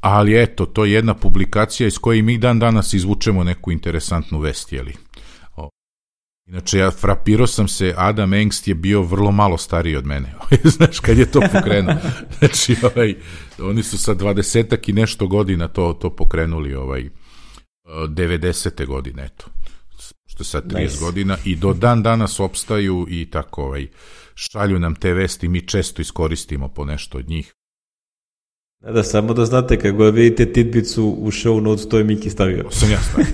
ali eto, to je jedna publikacija iz koje mi dan danas izvučemo neku interesantnu vest, jeli. Inače, ja frapirao sam se, Adam Engst je bio vrlo malo stariji od mene, znaš, kad je to pokrenuo. Znači, ovaj, oni su sa dvadesetak i nešto godina to, to pokrenuli, ovaj, devedesete godine, eto, što je sad trideset nice. Godina, i do dan danas opstaju i tako, ovaj, šalju nam te vesti, mi često iskoristimo po nešto od njih. Da, da, samo da znate, kako vidite tidbicu u show notes, to je Miki stavio. To sam ja stavio.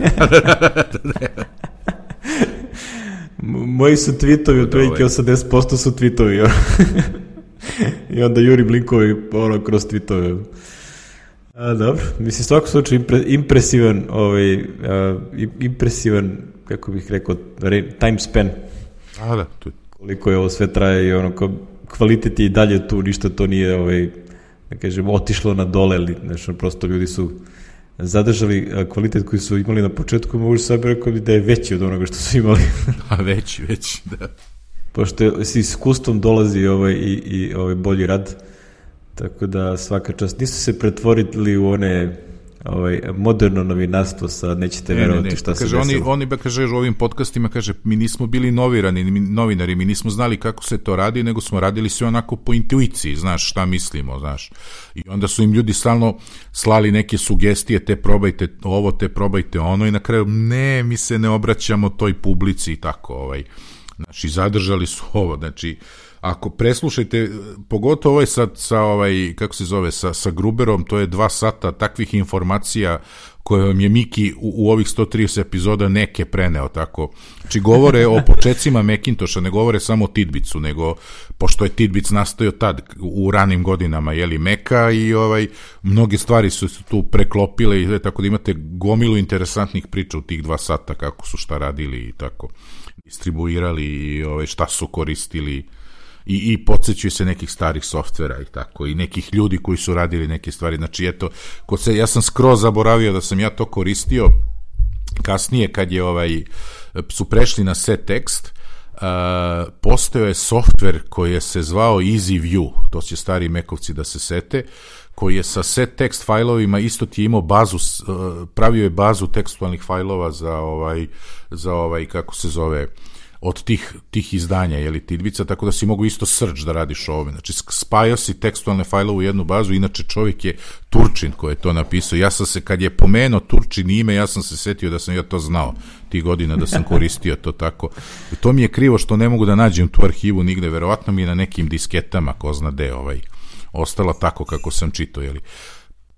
Moji su tweetovi, otprilike osamdeset posto su tweetovi. I onda jurim linkovi ono, kroz tweetove. A, dobro, mislim, svako slučaju impre, impresivan, ovaj, a, impresivan, kako bih rekao, time span. A, da, tu. Koliko je ovo sve traje i ono, kvalitet je i dalje tu, ništa to nije, ovaj, da kažem, otišlo na dole, ali znači, prosto ljudi su zadržali kvalitet koji su imali na početku, mogu sad rekao da je veći od onoga što su imali. A veći, veći, da. Pošto s iskustvom dolazi ovaj, i, i ovaj bolji rad, tako da svaka čast. Nisu se pretvorili u one ovaj, moderno novinarstvo, sad nećete ne, verovati ne, ne. šta kaže, se desilo. Oni, oni ba kaže u ovim podcastima, kaže, mi nismo bili novirani, mi, novinari, mi nismo znali kako se to radi, nego smo radili sve onako po intuiciji, znaš, šta mislimo, znaš. I onda su im ljudi stalno slali neke sugestije, te probajte ovo, te probajte ono, i na kraju, ne, mi se ne obraćamo toj publici i tako, ovaj. Znači, zadržali su ovo, znači, ako preslušajte, pogotovo ovaj sa, sa ovaj, kako se zove, sa, sa Gruberom, to je dva sata takvih informacija koje vam je Miki u, u ovih sto trideset epizoda neke preneo, tako. Znači, govore o počecima Macintosha, ne govore samo o Tidbicu, nego, pošto je Tidbic nastojao tad, u ranim godinama, jeli, Meka, i ovaj, mnoge stvari su se tu preklopile, i tako da imate gomilu interesantnih priča u tih dva sata, kako su šta radili i tako, distribuirali i ovaj, šta su koristili, i, i podsjećaju se nekih starih softvera i tako, i nekih ljudi koji su radili neke stvari. Znači, eto, kod se, ja sam skroz zaboravio da sam ja to koristio kasnije, kad je ovaj, su prešli na settext, uh, postojao je softver koji je se zvao EasyView, to će stari mekovci da se sete, koji je sa settext fajlovima isto ti je imao bazu, uh, pravio je bazu tekstualnih fajlova za ovaj, za ovaj, kako se zove, od tih, tih izdanja, jeli, Tidbica, tako da si mogu isto search da radiš ovome. Znači, spajao si tekstualne fajlove u jednu bazu, inače čovjek je Turčin koji je to napisao. Ja sam se, kad je pomenuo Turčin ime, ja sam se setio da sam ja to znao tih godina, da sam koristio to tako. I to mi je krivo što ne mogu da nađem tu arhivu nigde, verovatno mi je na nekim disketama, ko zna de, ovaj, ostala tako kako sam čitao, jeli.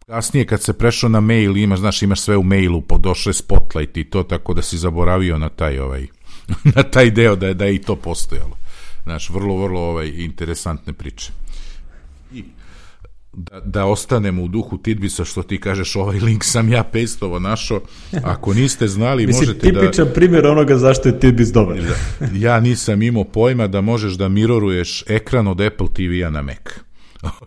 Kasnije kad se prešao na mail, imaš, znaš, imaš sve u mailu, podošle Spotlight i to, tako da si zaboravio na taj, ovaj, na taj deo da je, da je i to postojalo. Znaš, vrlo, vrlo ovaj, interesantne priče. I da, da ostanemo u duhu Tidbisa, što ti kažeš, ovaj link sam ja pastovo našao. Ako niste znali, mislim, možete da... tipičan primjer onoga zašto je Tidbis dobar. Ja nisam imao pojma da možeš da miroruješ ekran od Apple T V-a na Mac.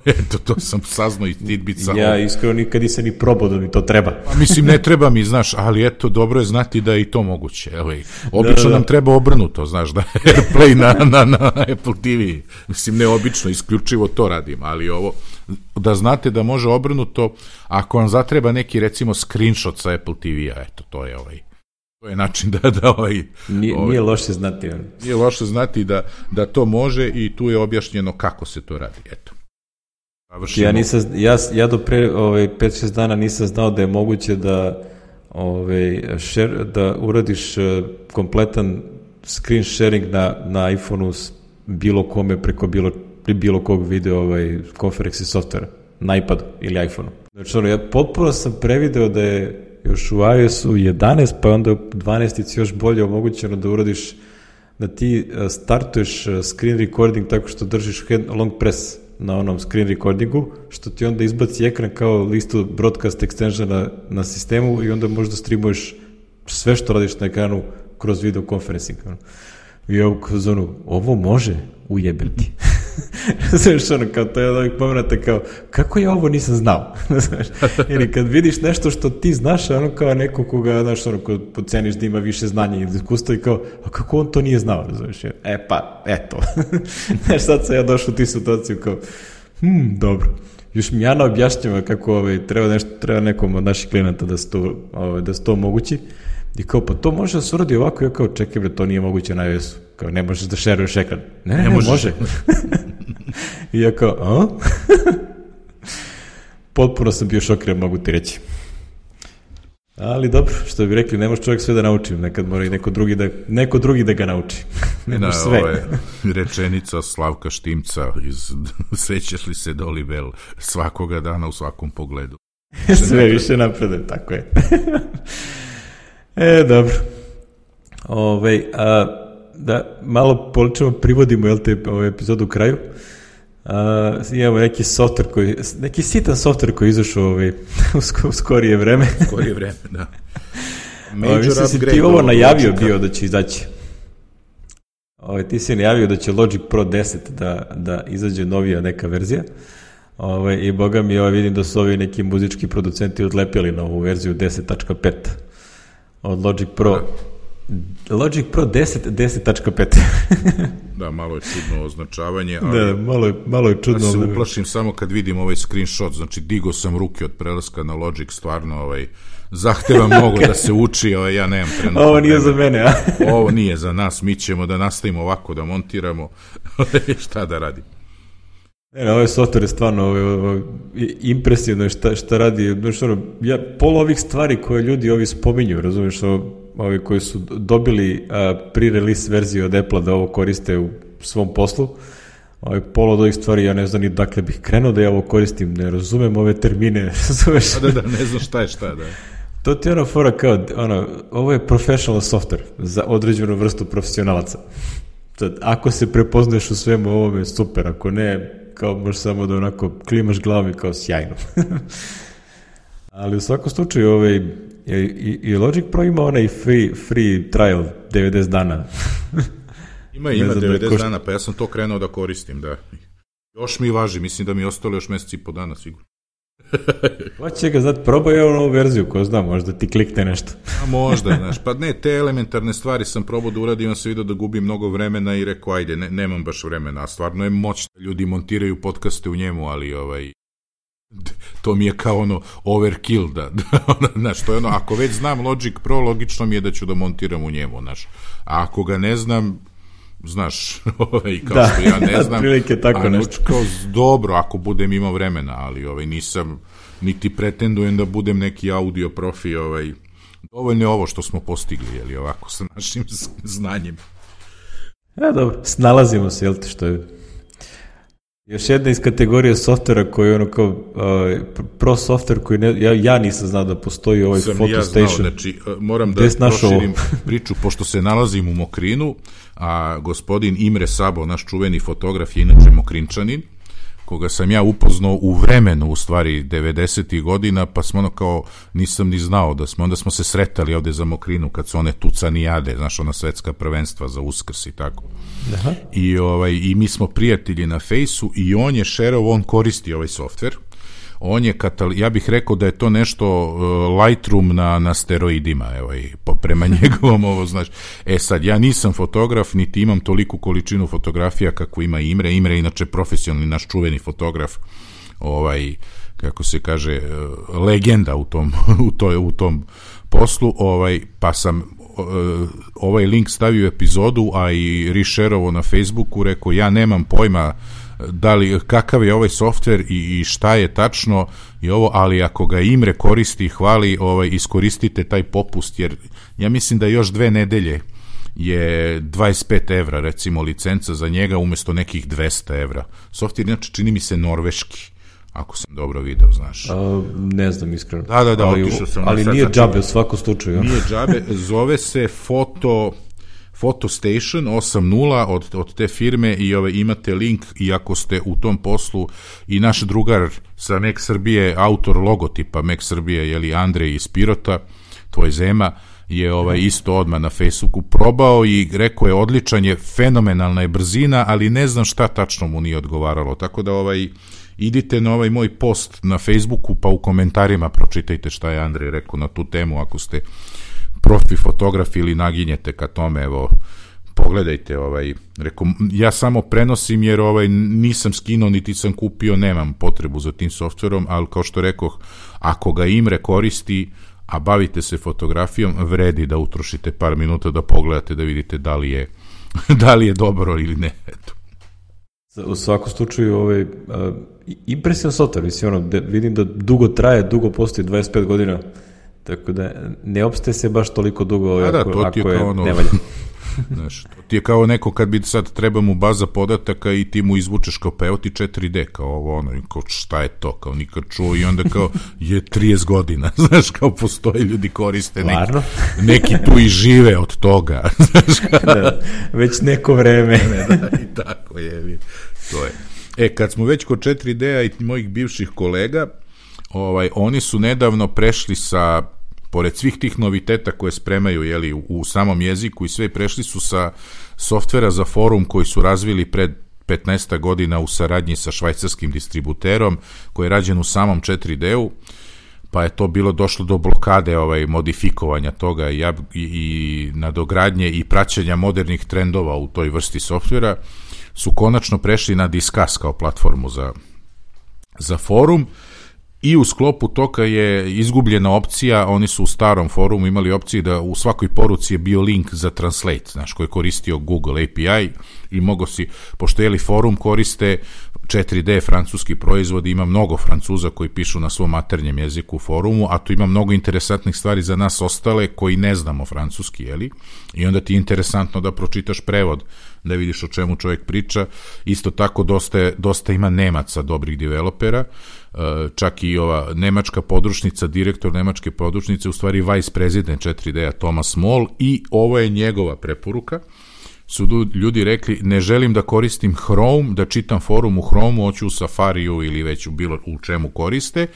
Eto, to sam saznao i Tidbica. Ja iskreno nikad nisam ni probao da mi to treba. Pa, mislim, ne treba mi, znaš, ali eto, dobro je znati da je i to moguće. Evo, obično da, da. nam treba obrnuto, znaš, da AirPlay na, na, na Apple T V. Mislim, ne obično, isključivo to radim, ali ovo, da znate da može obrnuto, ako vam zatreba neki, recimo, screenshot sa Apple T V-a, eto, to je ovaj... To je način da... da ovaj, nije, ovaj, nije loše znati. Nije loše znati da, da to može, i tu je objašnjeno kako se to radi, eto. Ja, nisam, ja, ja do pre ovaj, pet šest dana nisam znao da je moguće da, ovaj, share, da uradiš uh, kompletan screen sharing na, na iPhoneu s bilo kome preko bilo, bilo kog video ovaj, konferenci softvera, na iPadu ili iPhoneu. Znači, ono, ja potpuno sam prevideo da je još u iOS-u jedanaest, pa onda u dvanaestici još bolje omogućeno da uradiš, da ti startuješ screen recording tako što držiš hand, long press na onom screen recordingu, što ti onda izbaci ekran kao listu broadcast extensiona na sistemu, i onda možda streamuješ sve što radiš na ekranu kroz video conferencing. I ja u zonu, ovo može ujebiti. Znaš, ono, kao to je od ovih momenata kao, kako ja ovo nisam znao? Znaš, ili kad vidiš nešto što ti znaš, ono kao neko koga, znaš, ono, ko podceniš da ima više znanja i iskustva, i kao, a kako on to nije znao? Znaš, e pa, eto. Znaš, sad sam ja došao u ti situaciju kao, hm, dobro. Još mi Jana objašnjava kako ovaj, treba, nešto, treba nekom od naših klijenata da se to, ovaj, da se to omogući. I kao, pa to može da se uradi ovako. Ja kao, čekaj bre, to nije moguće na iOS-u. Kao, ne možeš da šeruješ ekran. Ne, ne, ne, ne može. I ja kao, a? Potpuno sam bio šokiran, mogu ti reći. Ali dobro, što bi rekli, ne može čovjek sve da nauči. Nekad mora i neko drugi da, neko drugi da ga nauči. Na ove rečenica Slavka Štimca iz Sećaš li se Dolly Bell svakoga dana u svakom pogledu. Sve više napreduje, tako je. E, dobro. Ove, a, da malo poličemo, privodimo, jel te, ovu epizodu u kraju. A, imamo neki software koji, neki sitan software koji je izašao ovaj, u, sko, u skorije vreme. U skorije vreme, da. Major upgrade. Si ti ovo najavio bio da će izaći. Ove, ti si najavio da će Logic Pro deset da, da izađe novija neka verzija. Ove, I boga mi ovaj, vidim da su ovi neki muzički producenti odlepili na ovu verziju deset tačka pet od Logic Pro. Da. Logic Pro deset, deset tačka pet. Da, malo je čudno označavanje. Ali da, malo je, malo je čudno. Ja se uplašim samo kad vidim ovaj screenshot, znači digo sam ruke od prelaska na Logic, stvarno ovaj, zahteva mnogo da se uči, ovaj, ja nemam trenutno. Ovo nije za mene, a? Ovo nije za nas, mi ćemo da nastavimo ovako, da montiramo, šta da radim. Ne, ovaj software je stvarno ovaj, ovaj, impresivno šta, šta radi. Znači, ono, ja, pola ovih stvari koje ljudi ovi spominju, razumiješ, ovi koji su dobili a, pre-release verziju od Apple da ovo koriste u svom poslu, ovaj, pola od ovih stvari ja ne znam ni dakle bih krenuo da ja ovo koristim, ne razumem ove termine, razumeš? A da, da, ne znam šta je šta, da. To ti je ono fora kao, ono, ovo je professional software za određenu vrstu profesionalaca. Sad, ako se prepoznaješ u svemu ovome, super, ako ne, kao možeš samo da onako klimaš glavom i kao sjajno. Ali u svakom slučaju ovaj, i, i Logic Pro ima onaj free, free trial devedeset dana. Ima, ima devedeset dana, pa ja sam to krenuo da koristim, da. Još mi važi, mislim da mi je ostalo još meseci i po dana, sigurno. Hoće ga, znati, probaj je novu verziju, ko zna, možda ti klikne nešto. A možda, znaš, pa ne, te elementarne stvari sam probao da uradim, sam vidio da gubim mnogo vremena i rekao, ajde, ne, nemam baš vremena, a stvarno je moć da ljudi montiraju podcaste u njemu, ali ovaj, to mi je kao ono overkill, da, znaš, to je ono, ako već znam Logic Pro, logično mi je da ću da montiram u njemu, znaš, a ako ga ne znam, znaš, ovaj, kao da, što ja ne znam, tako a nešto. Kao, dobro, ako budem imao vremena, ali ovaj, nisam, niti pretendujem da budem neki audio profi, ovaj, dovoljno je ovo što smo postigli, jeli, ovako, sa našim znanjem. Ja, dobro, snalazimo se, jel te, što je još jedna iz kategorije softvera koji je ono kao uh, pro softver koji ne, ja, ja nisam znao da postoji ovaj Sam Photo ja Station. Znao, znači, moram da proširim priču, pošto se nalazim u Mokrinu, a gospodin Imre Sabo, naš čuveni fotograf, je inače Mokrinčanin, koga sam ja upoznao u vremenu, u stvari, devedesetih godina, pa smo ono kao, nisam ni znao da smo, onda smo se sretali ovde za Mokrinu, kad su one tucanijade, znaš, ona svetska prvenstva za Uskrs i tako. Aha. I, ovaj, i mi smo prijatelji na Fejsu i on je šerao, on koristi ovaj softver, on je, katal... ja bih rekao da je to nešto uh, Lightroom na, na steroidima, evo, i po, prema njegovom ovo, znaš, e sad, ja nisam fotograf, niti imam toliku količinu fotografija kako ima Imre, Imre je inače profesionalni, naš čuveni fotograf, ovaj, kako se kaže, uh, legenda u tom, u, toj, u tom poslu, ovaj, pa sam uh, ovaj link stavio u epizodu, a i rešerovo na Facebooku, rekao, ja nemam pojma da li, kakav je ovaj softver i, i šta je tačno i ovo, ali ako ga Imre koristi i hvali, ovaj, iskoristite taj popust, jer ja mislim da još dve nedelje je dvadeset pet evra, recimo, licenca za njega umesto nekih dvesta evra. Softver, inače, čini mi se norveški, ako sam dobro video, znaš. A, ne znam, iskreno. Da, da, da, ali, otišao sam. Ali nije džabe u svakom slučaju. Nije džabe, zove se Foto... Photo Station osam nula od, od te firme i ove, imate link i ako ste u tom poslu i naš drugar sa Mac Srbije, autor logotipa Mac Srbije, jeli Andrej iz Pirota, tvoj Zema, je ovaj, isto odmah na Facebooku probao i rekao je odličan je, fenomenalna je brzina, ali ne znam šta tačno mu nije odgovaralo, tako da ovaj, idite na ovaj moj post na Facebooku pa u komentarima pročitajte šta je Andrej rekao na tu temu, ako ste profi fotograf ili naginjete ka tome, evo, pogledajte, ovaj, reko, ja samo prenosim jer ovaj, nisam skinuo, niti sam kupio, nemam potrebu za tim softverom, ali kao što rekoh, ako ga Imre koristi, a bavite se fotografijom, vredi da utrošite par minuta da pogledate, da vidite da li je, da li je dobro ili ne, eto. U svakom slučaju, ovaj, uh, impresivan softver, mislim, ono, de, vidim da dugo traje, dugo postoji, dvadeset pet godina, tako da ne opstaje se baš toliko dugo, da, ako, to ako je ono, nevalja. Znaš, to ti je kao neko kad bi sad treba mu baza podataka i ti mu izvučeš kao pa evo ti četiri de, kao ovo ono, kao šta je to, kao nikad čuo i onda kao je trideset godina, znaš, kao postoje ljudi koriste, neki, neki tu i žive od toga, znaš, kao, da, već neko vreme. Ne, da, i tako je, to je. E, kad smo već kod četiri de-a i mojih bivših kolega, ovaj, oni su nedavno prešli sa, pored svih tih noviteta koje spremaju, jeli, u, u samom jeziku i sve, prešli su sa softvera za forum koji su razvili pred petnaest godina u saradnji sa švajcarskim distributerom, koji je rađen u samom četiri de-u, pa je to bilo došlo do blokade ovaj, modifikovanja toga i, i, i nadogradnje i praćenja modernih trendova u toj vrsti softvera, su konačno prešli na Discuss kao platformu za, za forum i u sklopu toga je izgubljena opcija, oni su u starom forumu imali opciju da u svakoj poruci je bio link za Translate, znaš, koji je koristio Google A P I i mogo si, pošto jeli forum koriste četiri de francuski proizvodi, ima mnogo Francuza koji pišu na svom maternjem jeziku u forumu, a tu ima mnogo interesantnih stvari za nas ostale koji ne znamo francuski, jeli? I onda ti je interesantno da pročitaš prevod, da vidiš o čemu čovjek priča. Isto tako dosta, dosta ima Nemaca, dobrih developera, čak i ova nemačka područnica, direktor nemačke područnice, u stvari vice president četiri de-a Thomas Moll, i ovo je njegova preporuka. Su ljudi rekli, ne želim da koristim Chrome, da čitam forum u Chromeu, hoću u Safariju ili već u bilo u čemu koriste,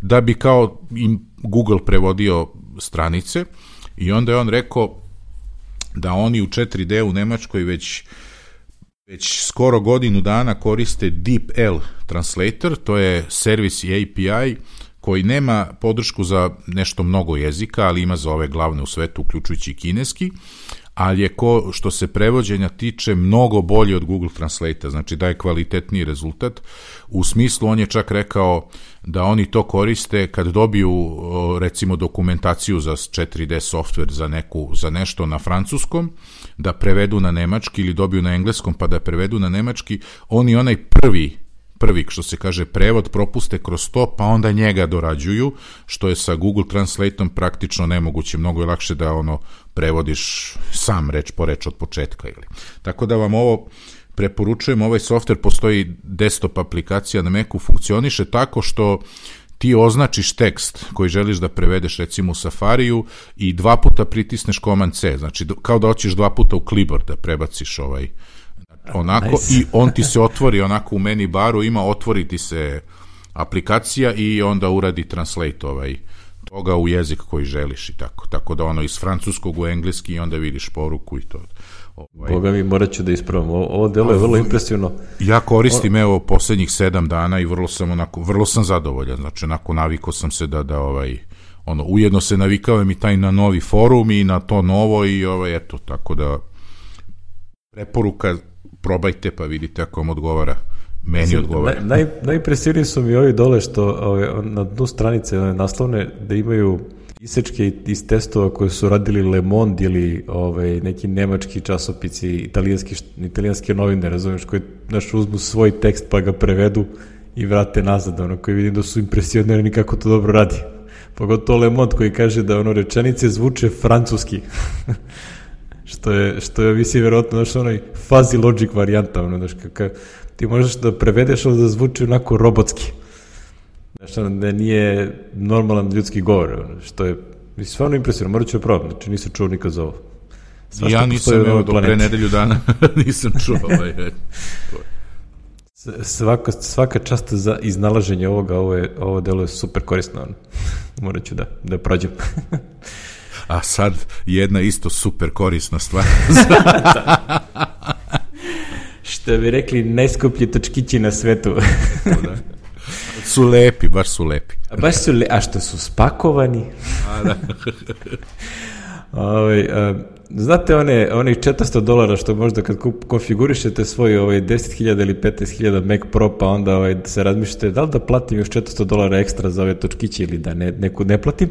da bi kao im Google prevodio stranice, i onda je on rekao da oni u četiri de u Nemačkoj već već skoro godinu dana koriste DeepL Translator, to je servis i A P I koji nema podršku za nešto mnogo jezika, ali ima za ove glavne u svetu, uključujući i kineski, ali je ko, što se prevođenja tiče, mnogo bolje od Google Translate, znači daje kvalitetniji rezultat. U smislu, on je čak rekao da oni to koriste kad dobiju, recimo, dokumentaciju za četiri de software za, neku, za nešto na francuskom, da prevedu na nemački, ili dobiju na engleskom pa da prevedu na nemački, oni onaj prvi prvi, što se kaže, prevod propuste kroz to, pa onda njega dorađuju, što je sa Google Translateom praktično nemoguće, mnogo je lakše da ono prevodiš sam reč po reč od početka. Ili. Tako da vam ovo preporučujem, ovaj softver, postoji desktop aplikacija na Macu, funkcioniše tako što ti označiš tekst koji želiš da prevedeš, recimo u Safariju, i dva puta pritisneš Command C, znači kao da hoćeš dva puta u clipboard da prebaciš ovaj onako, nice. I on ti se otvori onako u menu baru, ima otvori ti se aplikacija i onda uradi translate ovaj toga u jezik koji želiš i tako, tako da ono iz francuskog u engleski i onda vidiš poruku i to. Ovaj. Boga mi, morat ću da ispravam, ovo, ovo delo je vrlo impresivno. Ja koristim, evo, poslednjih sedam dana i vrlo sam onako, vrlo sam zadovoljan, znači onako navikao sam se da, da ovaj, ono, ujedno se navikao mi taj na novi forum i na to novo i ovaj, eto, tako da preporuka, probajte pa vidite ako vam odgovara. Meni Zim, odgovara. Naj, naj, najimpresivniji su mi ovi dole što ove, na dnu stranice ove, naslovne da imaju isečke iz testova koje su radili Le Monde ili ove, neki nemački časopici, italijanski, italijanske novine, razumiješ, koji naš uzmu svoj tekst pa ga prevedu i vrate nazad, ono, koji vidim da su impresionirani kako to dobro radi. Pogotovo Le Monde koji kaže da ono rečenice zvuče francuski. Što je, što je, mislim, verovatno, znaš, onaj fuzzy logic varijanta, ono, znaš, kakav, ti možeš da prevedeš ovo da zvuči onako robotski, znaš, ono, da nije normalan ljudski govor, ono, što je, mislim, stvarno impresivno, morat ću je probati, znači, nisam čuo nikad za ovo. Sva ja nisam, evo, do pre nedelju dana nisam čuo ovaj. Svaka, svaka čast za iznalaženje ovoga, ovo, je, ovo delo je super korisno, ono. Morat ću da, da prođem. A sad jedna isto super korisna stvar. Što bi rekli, najskuplji točkići na svetu. Da. Su lepi, baš su lepi. A baš su lepi, a što su spakovani. A da. Ove, a, znate one, onih četiristo dolara što možda kad konfigurišete svoj ovaj, deset hiljada ili petnaest hiljada Mac Pro, pa onda ovaj, se razmišljate da li da platim još četiristo dolara ekstra za ove točkiće ili da ne, neku ne platim.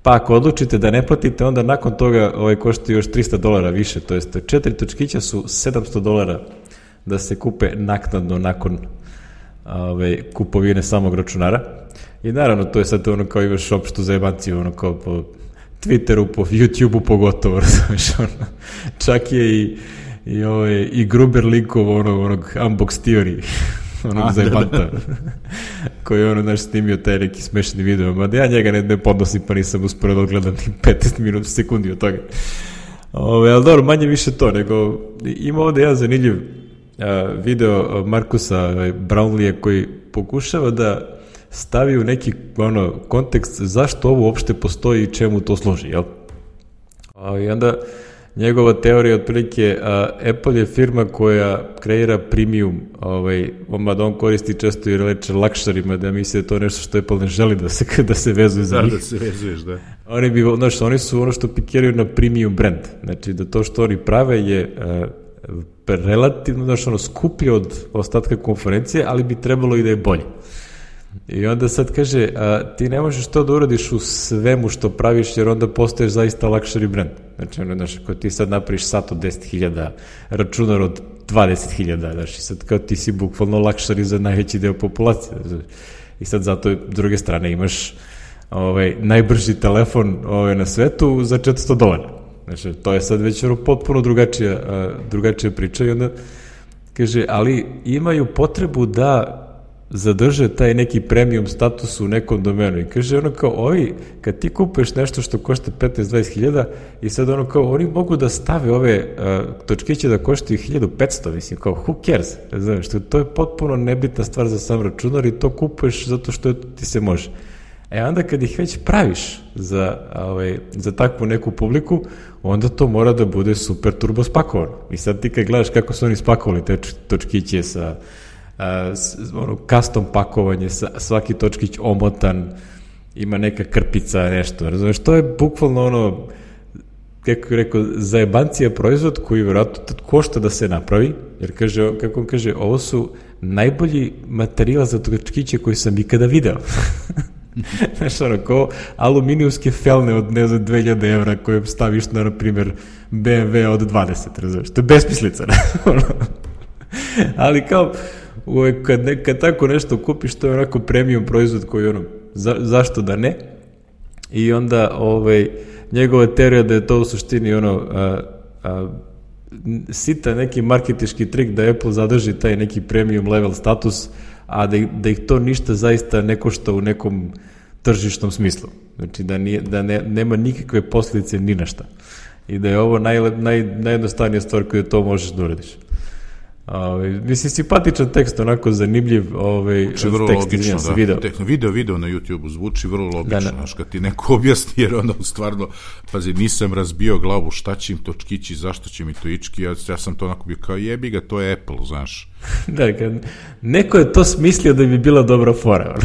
Pa ako odlučite da ne platite, onda nakon toga ovaj, košta još tristo dolara više, to jest četiri točkića su sedamsto dolara da se kupe naknadno nakon ovaj, kupovine samog računara. I naravno, to je sad ono kao imaš opštu zajebanciju, ono kao po Twitteru, po YouTubeu pogotovo, razumiješ, ono, čak je i, i, ovaj, i Gruber linkov onog, onog Unbox Theory, onog zajebanta, koji je ono, znaš, snimio taj neki smešni video, mada ja njega ne, ne podnosim, pa nisam uspio da odgledam ni petnaest minuta sekundi od toga. Ove, ali dobro, manje više to, nego ima ovde jedan zanimljiv a, video Markusa Brownleeja koji pokušava da stavi u neki ono, kontekst zašto ovo uopšte postoji i čemu to služi, jel? A, I onda njegova teorija otprilike, a, Apple je firma koja kreira premium, ovaj, mada on koristi često i reče lakšarima, da misle da to nešto što Apple ne želi da se, da se vezuje za da, njih. Da, se vezuješ, da. Oni, bi, znaš, oni su ono što pikiraju na premium brand, znači da to što oni prave je a, relativno, znaš, ono, skuplje od ostatka konferencije, ali bi trebalo i da je bolje. I onda sad kaže, a, ti ne možeš to da uradiš u svemu što praviš, jer onda postaješ zaista luxury brand. Znači, ono, znaš, ako ti sad napraviš sat od deset hiljada, računar od dvadeset hiljada, znaš, i sad kao ti si bukvalno luxury za najveći deo populacije. I sad zato, s druge strane, imaš ovaj, najbrži telefon ovaj, na svetu za četiristo dolara. Znači, to je sad već ono potpuno drugačija, a, drugačija priča i onda kaže, ali imaju potrebu da zadrže taj neki premium status u nekom domenu i kaže ono kao ovi, kad ti kupuješ nešto što košta petnaest do dvadeset hiljada i sad ono kao oni mogu da stave ove uh, točkiće da koštaju hiljadu petsto, mislim kao who cares, znaš, to je potpuno nebitna stvar za sam računar i to kupuješ zato što ti se može. E onda kad ih već praviš za, ovaj, za takvu neku publiku, onda to mora da bude super turbo spakovano. I sad ti kad gledaš kako su oni spakovali te točkiće sa Uh, ono, custom pakovanje, svaki točkić omotan, ima neka krpica, nešto, razumiješ, to je bukvalno ono, kako je rekao, zajebancija proizvod koji vjerojatno košta da se napravi, jer kaže, kako on kaže, ovo su najbolji materijal za točkiće koji sam ikada video. Znaš, ono, kao aluminijumske felne od, ne znam, dve hiljade evra koje staviš na, na primjer, B M W od dvadeset, razumiješ, to je besmislica, ali kao, Kad, ne, kad tako nešto kupiš, to je onako premium proizvod koji ono, za, zašto da ne? I onda ovaj, njegova teorija da je to u suštini ono, a, a, sita neki marketički trik da Apple zadrži taj neki premium level status, a da, da ih to ništa zaista ne košta u nekom tržišnom smislu. Znači da, nije, da ne, nema nikakve posljedice ni na šta. I da je ovo naj, naj, najjednostavnija stvar koju to možeš da uradiš. Ove, mislim, simpatičan tekst, onako zanimljiv ovaj, zvuči vrlo tekst, logično, se, da. video. video, video na YouTube-u zvuči vrlo logično, da, da. Znaš, kad ti neko objasni, jer ono, stvarno, pazi, nisam razbio glavu, šta će im točkići, zašto će mi to ički, ja, ja sam to onako bio kao, jebi ga, to je Apple, znaš. Da, kad neko je to smislio da bi bila dobra fora.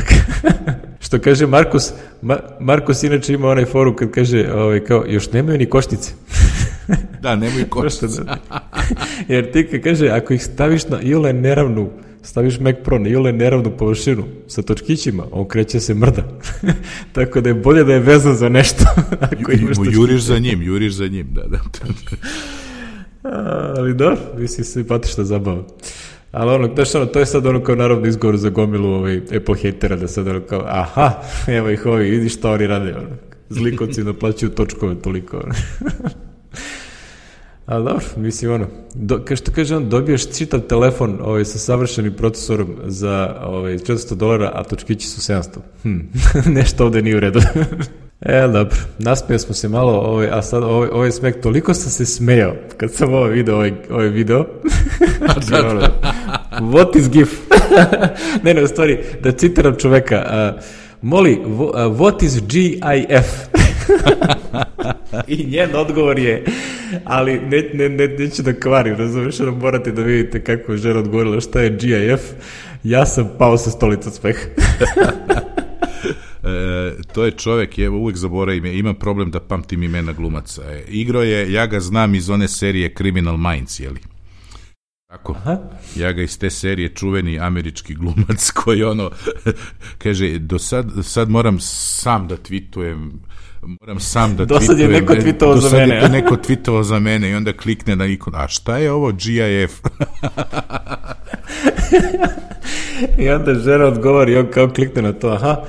Što kaže Markus, Ma, Markus inače ima onaj foru kad kaže, ovaj, kao, još nemaju ni košnice. Da, nemaju košnice. Jer ti kad kaže, ako ih staviš na iole neravnu, staviš Mac Pro na iole neravnu površinu sa točkićima, on kreće se mrda. Tako da je bolje da je vezan za nešto. Ako Ju, juriš za njim, juriš za njim, da, da. A, ali dobro, mislim, simpatična zabava. Ali ono, znaš, ono, to je sad ono kao naravno izgovor za gomilu ovaj, Apple hatera, da sad ono kao, aha, evo ih ovi, vidiš šta oni rade, ono. Zlikovci naplaćuju točkove toliko, ono. Ali dobro, mislim, ono, do, kao što kaže on, dobiješ čitav telefon ovaj, sa savršenim procesorom za ovaj, četiristo dolara, a točkići su sedamsto. Hm, nešto ovde nije u redu. E, dobro, nasmijao smo se malo, ovaj, a sad ovaj, ovaj smeh, toliko sam se smejao kad sam ovo video, ovaj, ovaj video. da, da. What is GIF? ne, ne, u stvari, da citiram čoveka, uh, Moli, what is G I F? I njen odgovor je, ali ne, ne, ne, neću da kvarim, razumiješ, ono morate da vidite kako je žena odgovorila šta je G I F. Ja sam pao sa stolica smeha. E, to je čovjek, je uvijek zaboravim, ima problem da pamtim imena glumaca. E, igro je, ja ga znam iz one serije Criminal Minds, jeli? Tako, aha. Ja ga iz te serije, čuveni američki glumac koji ono, kaže, do sad, sad moram sam da tweetujem, moram sam da tweetujem. Do sad je neko tweetovao za mene. Do sad je neko tweetovao za mene i onda klikne na ikon, a šta je ovo G I F? I onda žena odgovori, on kao klikne na to, aha,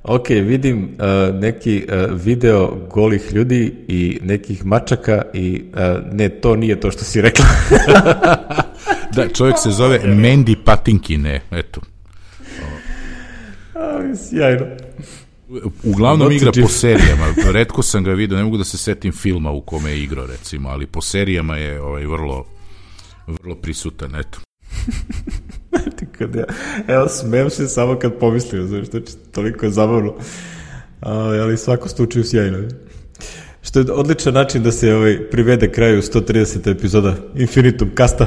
Ok, vidim uh, neki uh, video golih ljudi i nekih mačaka i uh, ne, to nije to što si rekla. Da, čovjek se zove Mandy Patinkin, eto. A, sjajno. Uglavnom Not igra to po serijama, retko sam ga vidio, ne mogu da se setim filma u kome je igrao, recimo, ali po serijama je ovaj, vrlo, vrlo prisutan, eto. Ja, evo, smem se samo kad pomislim, znaš, znači, toliko je zabavno, ali, ali svako slučaju sjajno. Što je odličan način da se ovaj, privede kraju sto trideset epizoda Infinitum Casta.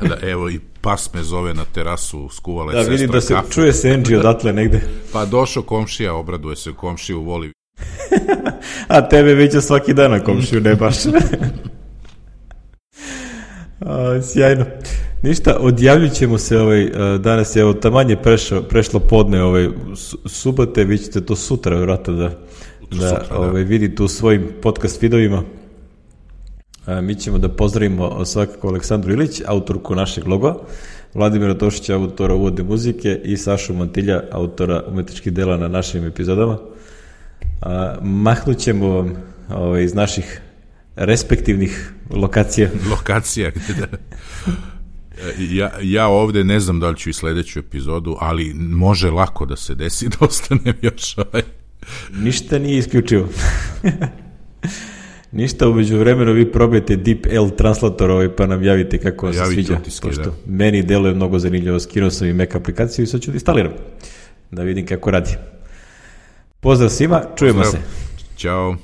Da, evo, i pas me zove na terasu, skuvala je da, sestra vidim da se kafu. čuje se Angie odatle negde. Pa došao komšija, obraduje se, komšiju voli. A tebe viđa svaki dan na komšiju, ne baš. A, sjajno. Ništa, odjavljit ćemo se ovaj, danas je evo tamanje prešlo, prešlo podne ovaj, subote, vi ćete to sutra vjerojatno da, da, sutra, ovaj, da. vidite u svojim podcast videovima. A, mi ćemo da pozdravimo svakako Aleksandru Ilić, autorku našeg loga, Vladimira Tošića, autora uvodne muzike i Sašu Mantilja, autora umetničkih dela na našim epizodama. A, mahnut ćemo vam ovaj, iz naših respektivnih lokacija. Lokacija, da. Ja, ja ovde ne znam da li ću i sledeću epizodu, ali može lako da se desi da ostanem još ovaj. Ništa nije isključivo. Ništa, umeđu vremenu vi probajte DeepL translator ovaj, pa nam javite kako vam se sviđa. Utiske, pošto da. Meni deluje mnogo zanimljivo, skinuo sam i Mac aplikaciju i sad ću da instaliram. Da vidim kako radi. Pozdrav svima, čujemo Pozdrav. se. Ćao.